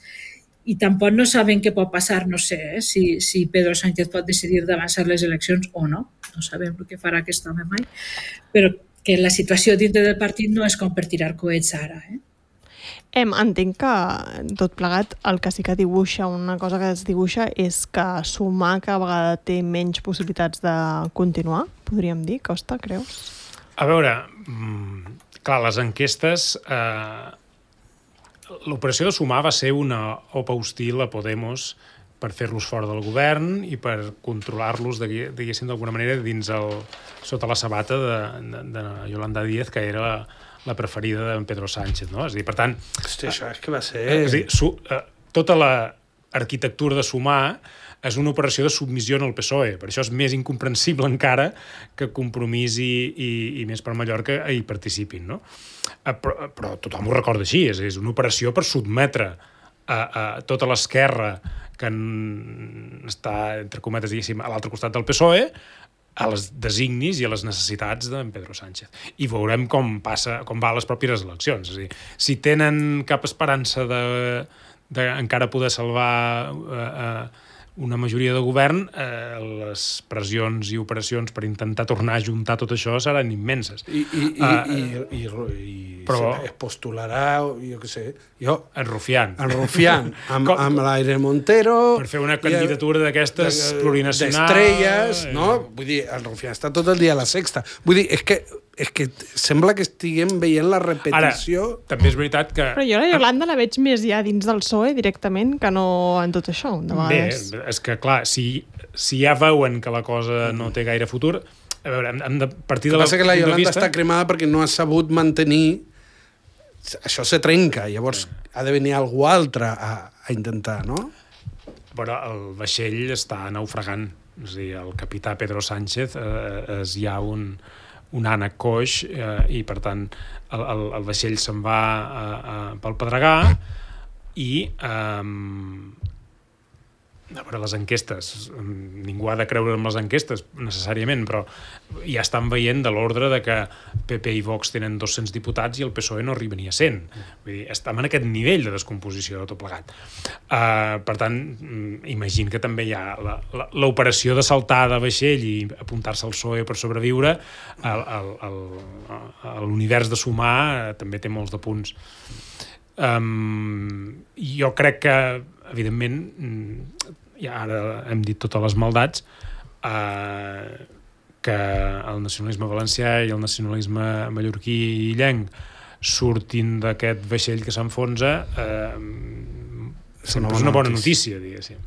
i tampoc no saben què pot passar, no sé, eh? si, si Pedro Sánchez pot decidir d'avançar les eleccions o no, no sabem el que farà aquest home mai, però que la situació dintre del partit no és com per tirar coets ara, eh? Em, entenc que tot plegat el que sí que dibuixa, una cosa que es dibuixa és que Sumar cada vegada té menys possibilitats de continuar, podríem dir, Costa, creus? A veure, clar, les enquestes... Eh, l'operació de Sumar va ser una opa hostil a Podemos per fer-los fora del govern i per controlar-los, diguéssim, d'alguna manera, dins el, sota la sabata de, de, de Yolanda Díaz, que era la, la preferida de Pedro Sánchez, no? És a dir, per tant... Hosti, això és que va ser... És a dir, su, eh, tota l'arquitectura de Sumar és una operació de submissió en el P S O E. Per això és més incomprensible encara que Compromís i, i, i Més per Mallorca hi participin, no? Però, però tothom ho recorda així, és, és una operació per sotmetre a, a tota l'esquerra que en, està, entre cometes, diguéssim, a l'altre costat del P S O E, a les designis i a les necessitats d'en Pedro Sánchez. I veurem com passa, com va a les pròpies eleccions. És a dir, si tenen cap esperança de, de encara poder salvar eh, eh, una majoria de govern, eh, les pressions i operacions per intentar tornar a juntar tot això seran immenses. I, i, i, uh, i, i, i, i però, es postularà, jo què sé, jo... En Rufián. En Rufián, amb, amb l'Aire Montero... Per fer una candidatura d'aquestes plurinacionals... D'estrelles, no? Vull dir, el Rufián està tot el dia a la Sexta. Vull dir, és que... és que sembla que estiguem veient la repetició... Ara, també és veritat que... Però jo la Yolanda la veig més ja dins del P S O E directament que no en tot això, de vegades. Bé, és que clar, si, si ja veuen que la cosa no té gaire futur, a veure, hem de partir de la... El que passa que la Yolanda vista... està cremada perquè no ha sabut mantenir... Això se trenca, llavors sí. Ha de venir algú altre a, a intentar, no? Però el vaixell està naufragant. És a dir, el capità Pedro Sánchez eh, és ja un... un ànec coix eh, i per tant el, el, el vaixell se'n va eh, eh, pel pedregar i eh, a veure, les enquestes, ningú ha de creure en les enquestes necessàriament, però ja estan veient de l'ordre de que P P i Vox tenen dos-cents diputats i el P S O E no arriba ni a cent. Vull dir, estem en aquest nivell de descomposició de tot plegat. Uh, per tant, imagino que també hi ha l'operació de saltar de vaixell i apuntar-se al P S O E per sobreviure. L'univers de Sumar uh, també té molts de punts. Um, jo crec que evidentment ja ara hem dit totes les maldats eh, que el nacionalisme valencià i el nacionalisme mallorquí i illenc surtin d'aquest vaixell que s'enfonsa eh, sempre és una bona notícia, diguéssim.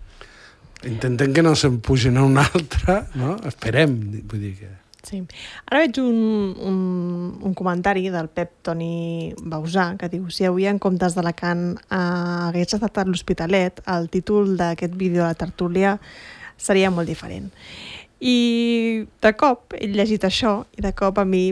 intentem que no se'n pugin a una altra, no? Esperem, vull dir que... Sí. Ara veig un, un, un comentari del Pep Toni Bausà que diu: si avui en comptes d'Alacant eh, hagués estat a l'Hospitalet, el títol d'aquest vídeo de la tertúlia seria molt diferent. I de cop he llegit això i de cop a mi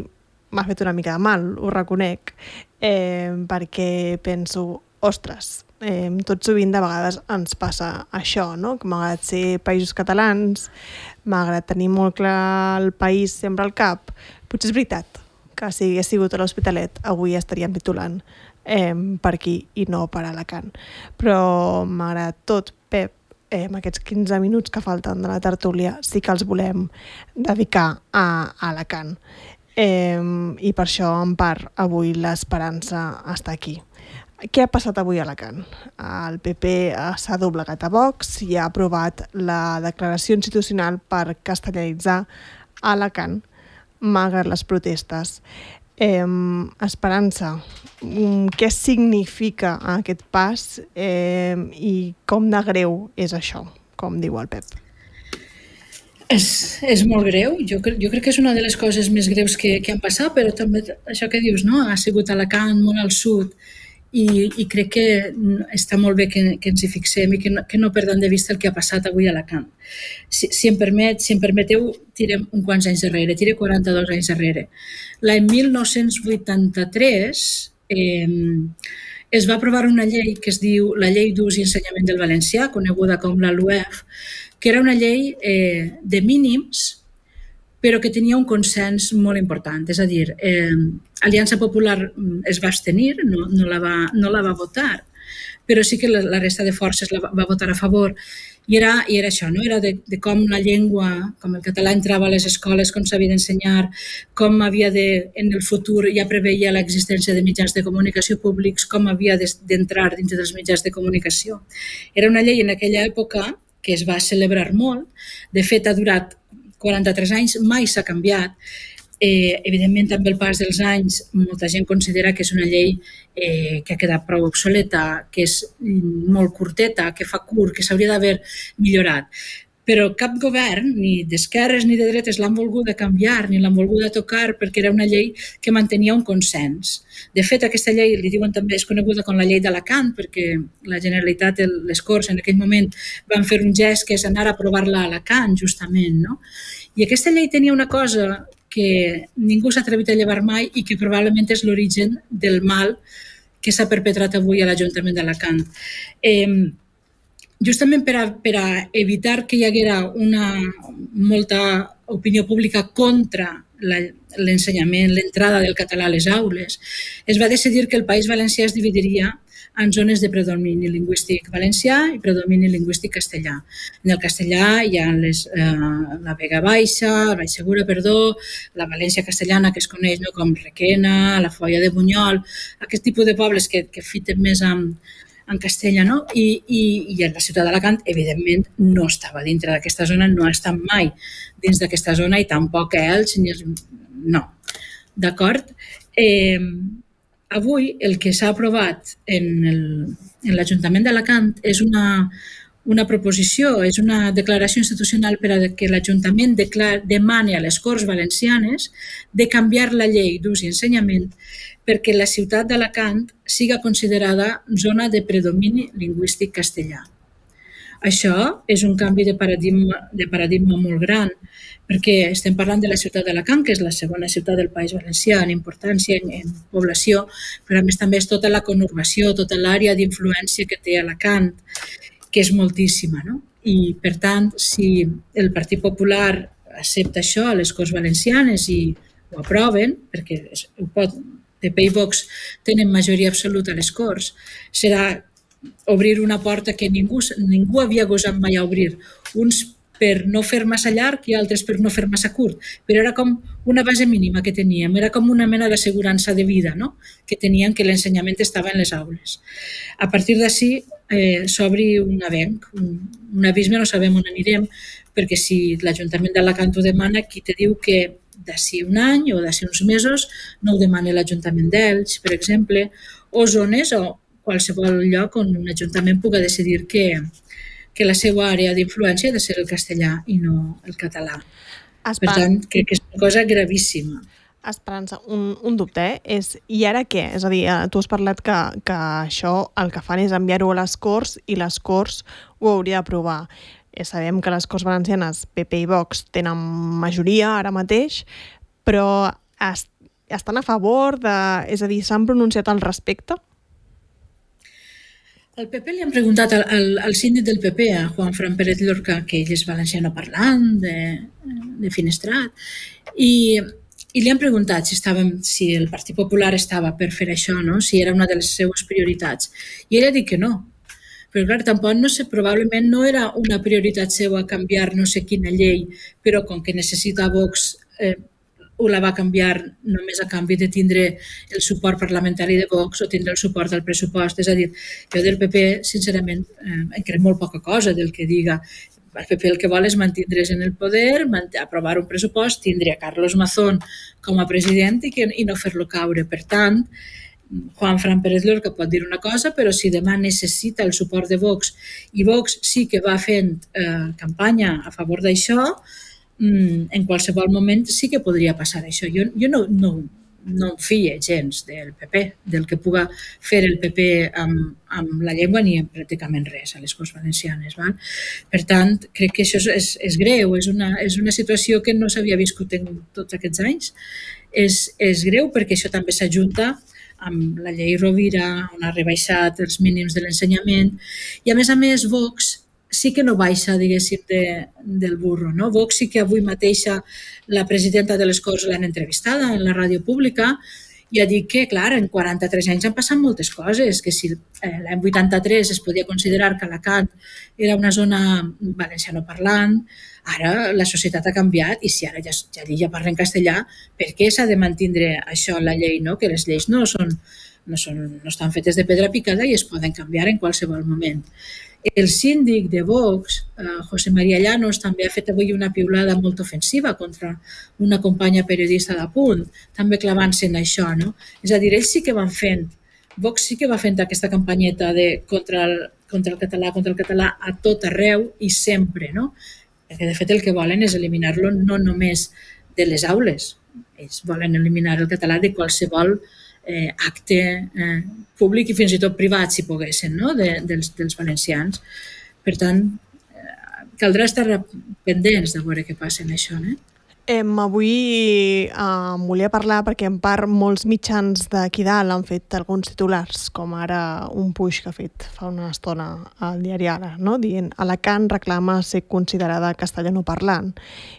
m'ha fet una mica de mal, ho reconec, eh, perquè penso, ostres, eh, tot sovint de vegades ens passa això, no? Que malgrat ser països catalans, malgrat tenir molt clar el país sempre al cap, potser és veritat que si hagués sigut a l'Hospitalet avui estaríem titulant eh, per aquí i no per Alacant. Però malgrat tot, Pep, eh, amb aquests quinze minuts que falten de la tertúlia sí que els volem dedicar a, a Alacant. Eh, I per això, en part, avui l'esperança està aquí. Què ha passat avui a Alacant? El P P s'ha doblegat a Vox i ha aprovat la declaració institucional per castellanitzar Alacant, malgrat les protestes. Eh, Esperança, què significa aquest pas eh, i com de greu és això, com diu el Pep? És, és molt greu, jo, jo crec que és una de les coses més greus que, que han passat, però també això que dius, no? Ha sigut a Alacant, molt al sud, i, i crec que està molt bé que, que ens hi fixem i que no, que no perdem de vista el que ha passat avui a Alacant. Si, si, em permet, si em permeteu, tirem un quants anys darrere, tirem quaranta-dos anys darrere. L'any mil nou-cents vuitanta-tres eh, es va aprovar una llei que es diu la Llei d'Ús i Ensenyament del Valencià, coneguda com la L U E F, que era una llei eh, de mínims, però que tenia un consens molt important. És a dir, eh, Aliança Popular es va abstenir, no, no, la va, no la va votar, però sí que la, la resta de forces la va, va votar a favor. I era, i era això, no? Era de, de com la llengua, com el català entrava a les escoles, com s'havia d'ensenyar, com havia de, en el futur ja preveia l'existència de mitjans de comunicació públics, com havia d'entrar dintre dels mitjans de comunicació. Era una llei en aquella època que es va celebrar molt, de fet ha durat quaranta-tres anys, mai s'ha canviat. Eh, evidentment, també el pas dels anys, molta gent considera que és una llei eh, que ha quedat prou obsoleta, que és molt curteta, que fa curt, que s'hauria d'haver millorat. Però cap govern, ni d'esquerres ni de dretes, l'han volguda canviar ni l'han volguda tocar perquè era una llei que mantenia un consens. De fet, aquesta llei, li diuen també, és coneguda com la llei d'Alacant perquè la Generalitat, les Corts, en aquell moment van fer un gest que és anar a aprovar-la a Alacant, justament, no? I aquesta llei tenia una cosa que ningú s'ha atrevit a llevar mai i que probablement és l'origen del mal que s'ha perpetrat avui a l'Ajuntament d'Alacant. Eh, justament per a, per a evitar que hi haguera una molta opinió pública contra l'ensenyament, l'entrada del català a les aules, es va decidir que el País Valencià es dividiria en zones de predomini lingüístic valencià i predomini lingüístic castellà. En el castellà hi ha les, eh, la Vega Baixa, la Vall Segura, perdó, la València castellana, que es coneix no, com Requena, la Foia de Bunyol, aquest tipus de pobles que, que fiten més amb, en castellà, no? I, i, i la ciutat d'Alacant, evidentment, no estava dintre d'aquesta zona, no ha estat mai dins d'aquesta zona i tampoc Elx, ni els... no. D'acord? Eh, avui el que s'ha aprovat en, el, en l'Ajuntament d'Alacant és una, una proposició, és una declaració institucional per a que l'Ajuntament declar, demani a les Corts Valencianes de canviar la llei d'ús i ensenyament perquè la ciutat d'Alacant siga considerada zona de predomini lingüístic castellà. Això és un canvi de paradigma, de paradigma molt gran, perquè estem parlant de la ciutat d'Alacant, que és la segona ciutat del País Valencià en importància, en, en població, però a més també és tota la conurbació, tota l'àrea d'influència que té Alacant, que és moltíssima, no? I, per tant, si el Partit Popular accepta això a les Corts Valencianes i ho aproven, perquè ho pot, P P i Vox tenen majoria absoluta a les Corts, serà obrir una porta que ningú, ningú havia gosat mai a obrir, uns per no fer massa llarg i altres per no fer massa curt, però era com una base mínima que teníem, era com una mena d'assegurança de vida, no? Que tenien que l'ensenyament estava en les aules. A partir d'ací eh, s'obri un avenc, un, un abisme, no sabem on anirem, perquè si l'Ajuntament d'Alacant ho demana, qui te diu que d'ací un any o d'ací uns mesos no ho demana l'Ajuntament d'Elx, per exemple, o zones o qualsevol lloc on un ajuntament pugui decidir que, que la seva àrea d'influència ha de ser el castellà i no el català. Espan... Per tant, crec que és una cosa gravíssima. Esperança, un, un dubte, eh? És, i ara què? És a dir, tu has parlat que, que això el que fan és enviar-ho a les Corts i les Corts ho hauria d'aprovar. Eh, sabem que les Corts Valencianes, P P i Vox, tenen majoria ara mateix, però es, estan a favor de... És a dir, s'han pronunciat al respecte? Al P P li han preguntat al, al, al síndic del P P, a Juan Fran Pérez Lorca, que ell és valenciano parlant, de, de Finestrat, i... I li han preguntat si, estàvem, si el Partit Popular estava per fer això, no? Si era una de les seues prioritats. I ell ha dit que no. Però clar, tampoc no sé, probablement no era una prioritat seva canviar no sé quina llei, però com que necessita Vox, eh, ho la va canviar només a canvi de tindre el suport parlamentari de Vox o tindre el suport del pressupost. És a dir, jo del P P, sincerament, eh, en crec molt poca cosa del que diga. El P P el que vol és mantindre's en el poder, aprovar un pressupost, tindre a Carlos Mazón com a president i, que, i no fer-lo caure. Per tant, Juan Fran Pérez Lorca pot dir una cosa, però si demà necessita el suport de Vox i Vox sí que va fent eh, campanya a favor d'això, en qualsevol moment sí que podria passar això. Jo, jo no, no, no em fie gens del P P, del que puga fer el P P amb, amb la llengua ni amb pràcticament res a les Corts Valencianes. Val? Per tant, crec que això és, és greu, és una, és una situació que no s'havia viscut en tots aquests anys. És, és greu perquè això també s'ajunta amb la llei Rovira, on ha rebaixat els mínims de l'ensenyament, i a més a més Vox sí que no baixa, diguéssim, de, del burro. No? Vox sí que avui mateixa la presidenta de les Corts l'han entrevistada en la ràdio pública i ha dit que, clar, en quaranta-tres anys han passat moltes coses, que si eh, l'any vuitanta-tres es podia considerar que Alacant era una zona valencianoparlant, ara la societat ha canviat i si ara ja, ja, ja parlen castellà, per què s'ha de mantindre això en la llei? No? Que les lleis no, són, no, són, no estan fetes de pedra picada i es poden canviar en qualsevol moment. El síndic de Vox, José María Llanos, també ha fet avui una piulada molt ofensiva contra una companya periodista d'Apunt, també clavant-se en això. No? És a dir, ells sí que van fent, Vox sí que va fent aquesta campanyeta de contra el, contra el català, contra el català a tot arreu i sempre. No? Perquè de fet el que volen és eliminar-lo no només de les aules, ells volen eliminar el català de qualsevol Eh, acte eh, públic i fins i tot privat, si poguessin, no? de, dels, dels valencians. Per tant, eh, caldrà estar pendents de veure què passa en això. Eh? Eh, avui eh, volia parlar perquè en part molts mitjans d'aquí dalt han fet alguns titulars, com ara un puix que ha fet fa una estona al diari Ara, no? Dient Alacant reclama ser considerada castellanoparlant.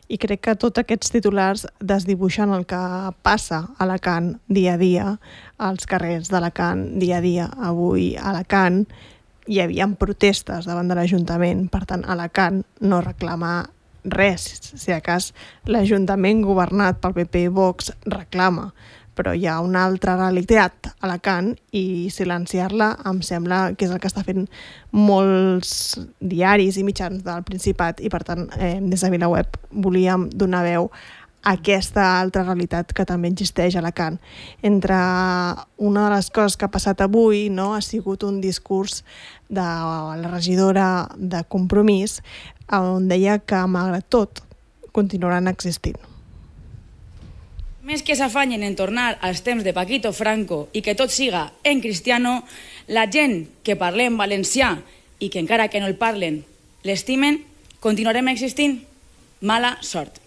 I crec que tots aquests titulars desdibuixen el que passa a Alacant dia a dia, als carrers d'Alacant dia a dia. Avui a Alacant hi havia protestes davant de l'Ajuntament, per tant Alacant no reclama res, si a cas l'Ajuntament governat pel P P i Vox reclama, però hi ha una altra realitat a Alacant i silenciar-la em sembla que és el que està fent molts diaris i mitjans del Principat i per tant eh, des de VilaWeb volíem donar veu a aquesta altra realitat que també existeix a Alacant. Entre una de les coses que ha passat avui no, ha sigut un discurs de la regidora de Compromís on deia que, malgrat tot, continuaran existint. Més que s'afanyen en tornar als temps de Paquito Franco i que tot siga en cristiano, la gent que parlem valencià i que encara que no el parlen l'estimen, continuarem existint? Mala sort.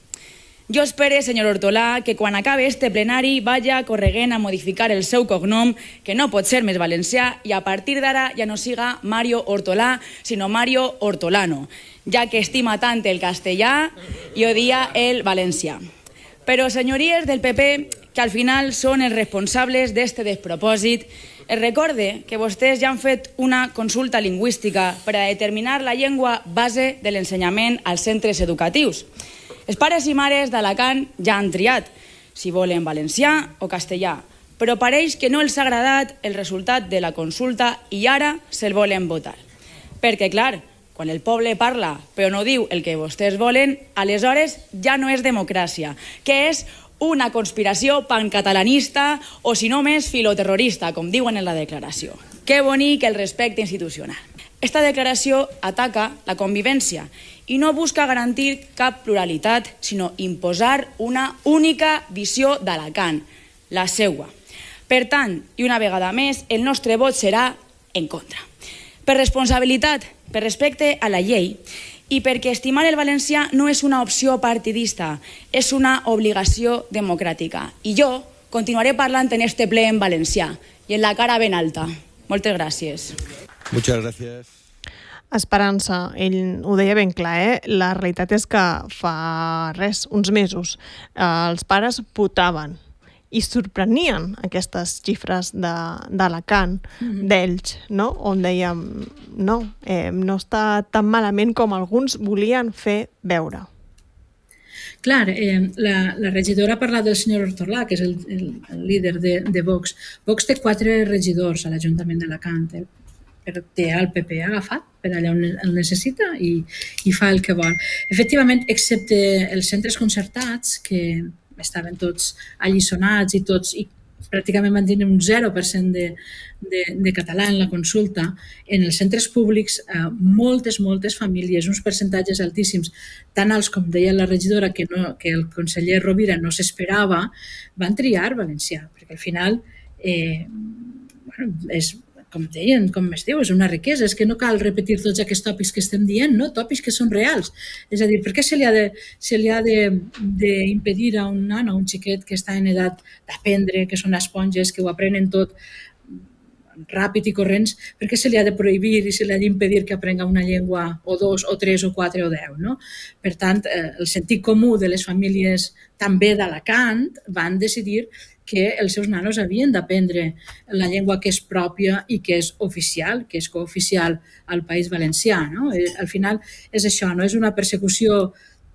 Jo espero, senyor Hortolà, que quan acabe este plenari vaya corregent a modificar el seu cognom, que no pot ser més valencià, i a partir d'ara ja no siga Mario Hortolà, sinó Mario Hortolano, ja que estima tant el castellà i odia el valencià. Però, senyories del P P, que al final són els responsables d'este despropòsit, es recorde que vostès ja han fet una consulta lingüística per a determinar la llengua base de l'ensenyament als centres educatius. Els pares i mares d'Alacant ja han triat si volen valencià o castellà, però pareix que no els ha agradat el resultat de la consulta i ara se'l volen votar. Perquè, clar, quan el poble parla però no diu el que vostès volen, aleshores ja no és democràcia, que és una conspiració pancatalanista o, si no més, filoterrorista, com diuen en la declaració. Que bonic el respecte institucional. Esta declaració ataca la convivència i no busca garantir cap pluralitat, sinó imposar una única visió d'Alacant, la seua. Per tant, i una vegada més, el nostre vot serà en contra. Per responsabilitat, per respecte a la llei i perquè estimar el valencià no és una opció partidista, és una obligació democràtica. I jo continuaré parlant en este ple en valencià i en la cara ben alta. Moltes gràcies. Muchas gracias. Esperança, ell ho deia ben clar, eh? La realitat és que fa res, uns mesos, eh, els pares votaven i sorprenien aquestes xifres d'Alacant, mm-hmm. d'Elx, no? On dèiem, no, eh, no està tan malament com alguns volien fer veure. Clar, eh, la, la regidora ha parlat del senyor Hortolà, que és el, el, el líder de, de Vox. Vox té quatre regidors a l'Ajuntament d'Alacant, eh? Però té el P P agafat per allà on el necessita i, i fa el que vol. Efectivament, excepte els centres concertats, que estaven tots alliçonats i tots i pràcticament van tenir un zero per cent de, de, de català en la consulta, en els centres públics eh, moltes, moltes famílies, uns percentatges altíssims, tan alts com deia la regidora que, no, que el conseller Rovira no s'esperava, van triar valencià, perquè al final eh, bueno, és com deien, com es diu, és una riquesa, és que no cal repetir tots aquests tòpics que estem dient, no? Tòpics que són reals. És a dir, per què se li ha de, se li ha de, de impedir a un nano, a un xiquet que està en edat d'aprendre, que són esponges, que ho aprenen tot ràpid i corrents, per què se li ha de prohibir i se li ha d'impedir que aprenga una llengua o dos, o tres, o quatre, o deu, no? Per tant, el sentit comú de les famílies també d'Alacant van decidir que els seus nanos havien d'aprendre la llengua que és pròpia i que és oficial, que és cooficial al País Valencià. No? Al final és això, no és una persecució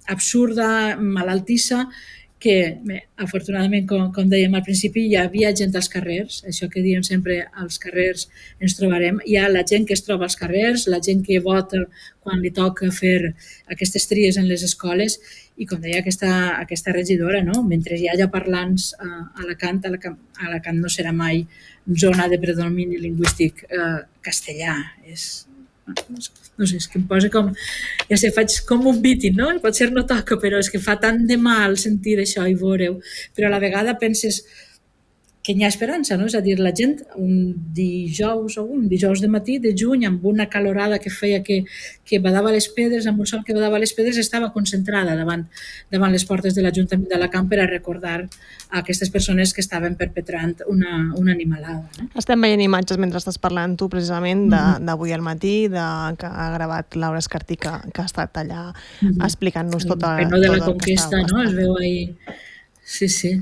absurda, malaltissa, que bé, afortunadament, com, com dèiem al principi, hi havia gent als carrers, això que diem sempre, als carrers ens trobarem, hi ha la gent que es troba als carrers, la gent que vota quan li toca fer aquestes tries en les escoles, i com deia aquesta, aquesta regidora, no? Mentre hi hagi parlants a Alacant, Alacant, Alacant no serà mai zona de predomini lingüístic eh, castellà. És, no sé, és que em posa com, ja sé, faig com un bitin, no? Potser no toca, però és que fa tant de mal sentir això i veure-ho, però a la vegada penses que hi ha esperança, no? És a dir, la gent un dijous o un dijous de matí de juny amb una calorada que feia que, que badava les pedres, amb un sol que badava les pedres, estava concentrada davant, davant les portes de l'Ajuntament d'Alacant per a recordar a aquestes persones que estaven perpetrant una, una animalada. No? Estem veient imatges mentre estàs parlant tu precisament d'avui al matí, de, que ha gravat Laura Escartí, que, que ha estat allà mm-hmm. explicant-nos tot el, el penó de la tot conquesta, no? Es veu ahí. Sí, sí.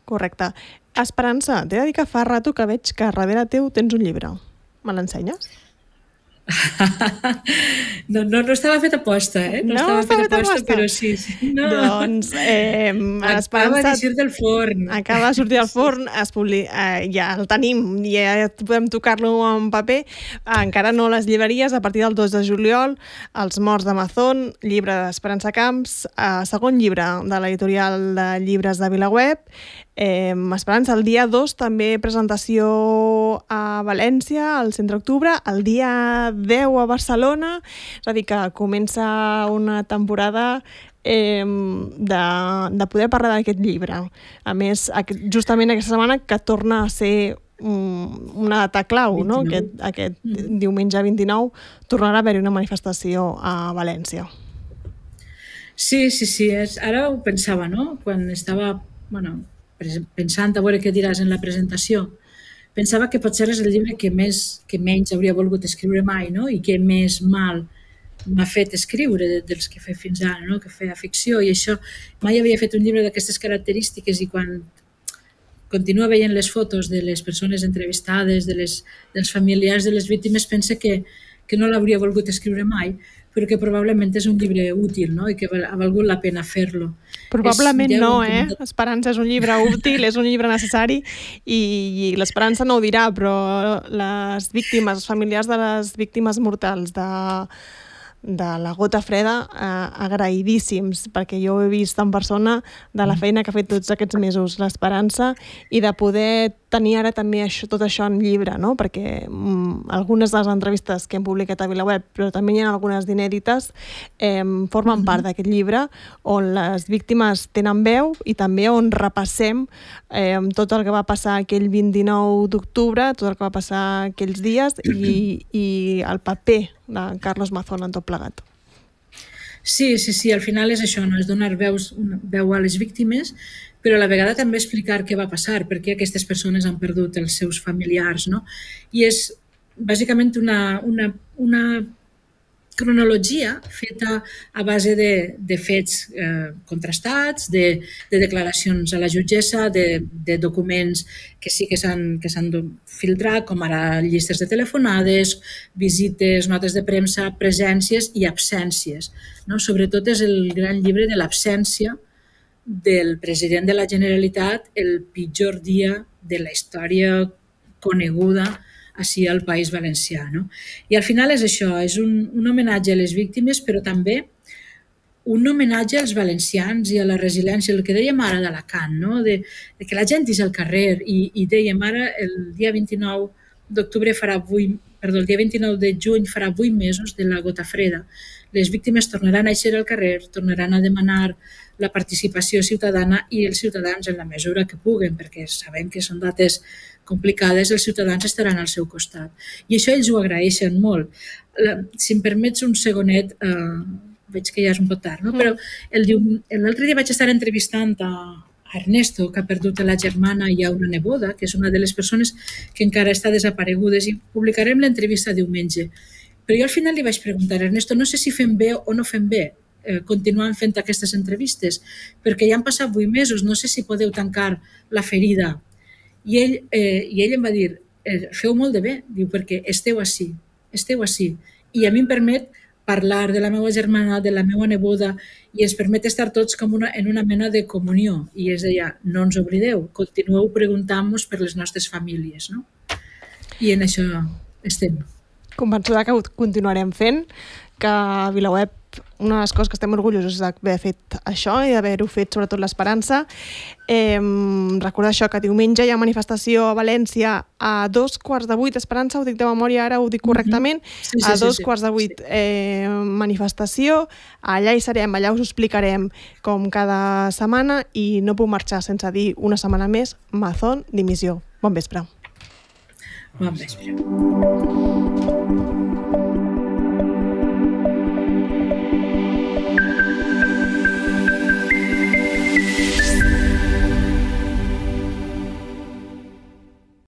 Correcte. Esperança, t'he de dir que fa rato que veig que darrere teu tens un llibre. Me l'ensenyes? No, no, no estava fet aposta, eh? No, no estava fet aposta, aposta, però sí. sí. No. Doncs, eh, acaba de sortir del forn. Acaba de sortir del forn, es publi... eh, ja el tenim, ja podem tocar-lo en paper. Encara no les llibreries, a partir del dos de juliol, Els morts d'Amazon, llibre d'Esperança Camps, eh, segon llibre de l'editorial de llibres de VilaWeb. Eh, Esperança, el dia dos també presentació a València, al centre d'octubre, el dia deu a Barcelona, és a dir, que comença una temporada eh, de, de poder parlar d'aquest llibre. A més, justament aquesta setmana que torna a ser una data clau, no? Aquest, aquest mm. diumenge vint-i-nou tornarà a haver-hi una manifestació a València. Sí, sí, sí, és, ara ho pensava, no? Quan estava, bueno, pensant a veure què diràs en la presentació, pensava que potser és el llibre que més que menys hauria volgut escriure mai, no? I que més mal m'ha fet escriure dels que he fet fins ara, no? Que feia ficció, i això mai havia fet un llibre d'aquestes característiques, i quan continua veient les fotos de les persones entrevistades, de les, dels familiars de les víctimes, pensa que, que no l'hauria volgut escriure mai, però que probablement és un llibre útil, no? I que ha valgut la pena fer-lo. Probablement és, no, eh? Esperança és un llibre útil, és un llibre necessari, i, i l'Esperança no ho dirà, però les víctimes, els familiars de les víctimes mortals de, de la Gota Freda, eh, agraïdíssims, perquè jo ho he vist en persona de la feina que ha fet tots aquests mesos l'Esperança, i de poder tenir ara també això, tot això en llibre, no? Perquè mm, algunes de les entrevistes que hem publicat a VilaWeb, però també hi ha algunes d'inèdites, eh, formen mm-hmm. part d'aquest llibre on les víctimes tenen veu i també on repassem eh, tot el que va passar aquell vint-i-nou d'octubre, tot el que va passar aquells dies i, i el paper de Carlos Mazón en tot plegat. Sí, sí, sí, al final és això, no? És donar veus, una veu a les víctimes, però a la vegada també explicar què va passar, perquè aquestes persones han perdut els seus familiars, no? I és bàsicament una, una, una cronologia feta a base de, de fets eh, contrastats, de, de declaracions a la jutgessa, de, de documents que sí que s'han que s'han filtrat, com ara llistes de telefonades, visites, notes de premsa, presències i absències. No? Sobretot és el gran llibre de l'absència del president de la Generalitat el pitjor dia de la història coneguda així al País Valencià. No? I al final és això, és un, un homenatge a les víctimes, però també un homenatge als valencians i a la resiliència, el que dèiem ara d'Alacant, no? de, de que la gent és al carrer i, i dèiem ara el dia vint-i-nou d'octubre farà vuit, perdó, el dia vint-i-nou de juny farà vuit mesos de la gota freda. Les víctimes tornaran a eixir al carrer, tornaran a demanar la participació ciutadana i els ciutadans en la mesura que puguen, perquè sabem que són dates complicades, els ciutadans estaran al seu costat. I això ells ho agraeixen molt. Si em permets un segonet, eh, veig que ja és un poc tard, no? Però l'altre dia vaig estar entrevistant a Ernesto, que ha perdut la germana i a una neboda, que és una de les persones que encara està desaparegudes, i publicarem l'entrevista diumenge. Però jo al final li vaig preguntar, Ernesto, no sé si fem bé o no fem bé eh, continuant fent aquestes entrevistes, perquè ja han passat vuit mesos, no sé si podeu tancar la ferida. I ell, eh, i ell em va dir, eh, feu molt de bé, diu, perquè esteu així, esteu així. I a mi em permet parlar de la meva germana, de la meva neboda, i ens permet estar tots com una, en una mena de comunió. I és allà, no ens oblideu, continueu preguntant-nos per les nostres famílies. No? I en això estem. Convençuda que ho continuarem fent, que a VilaWeb una de les coses que estem orgullosos d'haver fet això i d'haver-ho fet sobretot l'Esperança. Eh, recordar això, que diumenge hi ha manifestació a València a dos quarts de vuit, Esperança, ho dic de memòria ara, ho dic correctament, mm-hmm. sí, sí, a dos sí, sí, quarts de vuit sí. eh, manifestació, allà hi serem, allà us ho explicarem com cada setmana i no puc marxar sense dir una setmana més, Mazón, dimissió. Bon vespre. Bon vespre.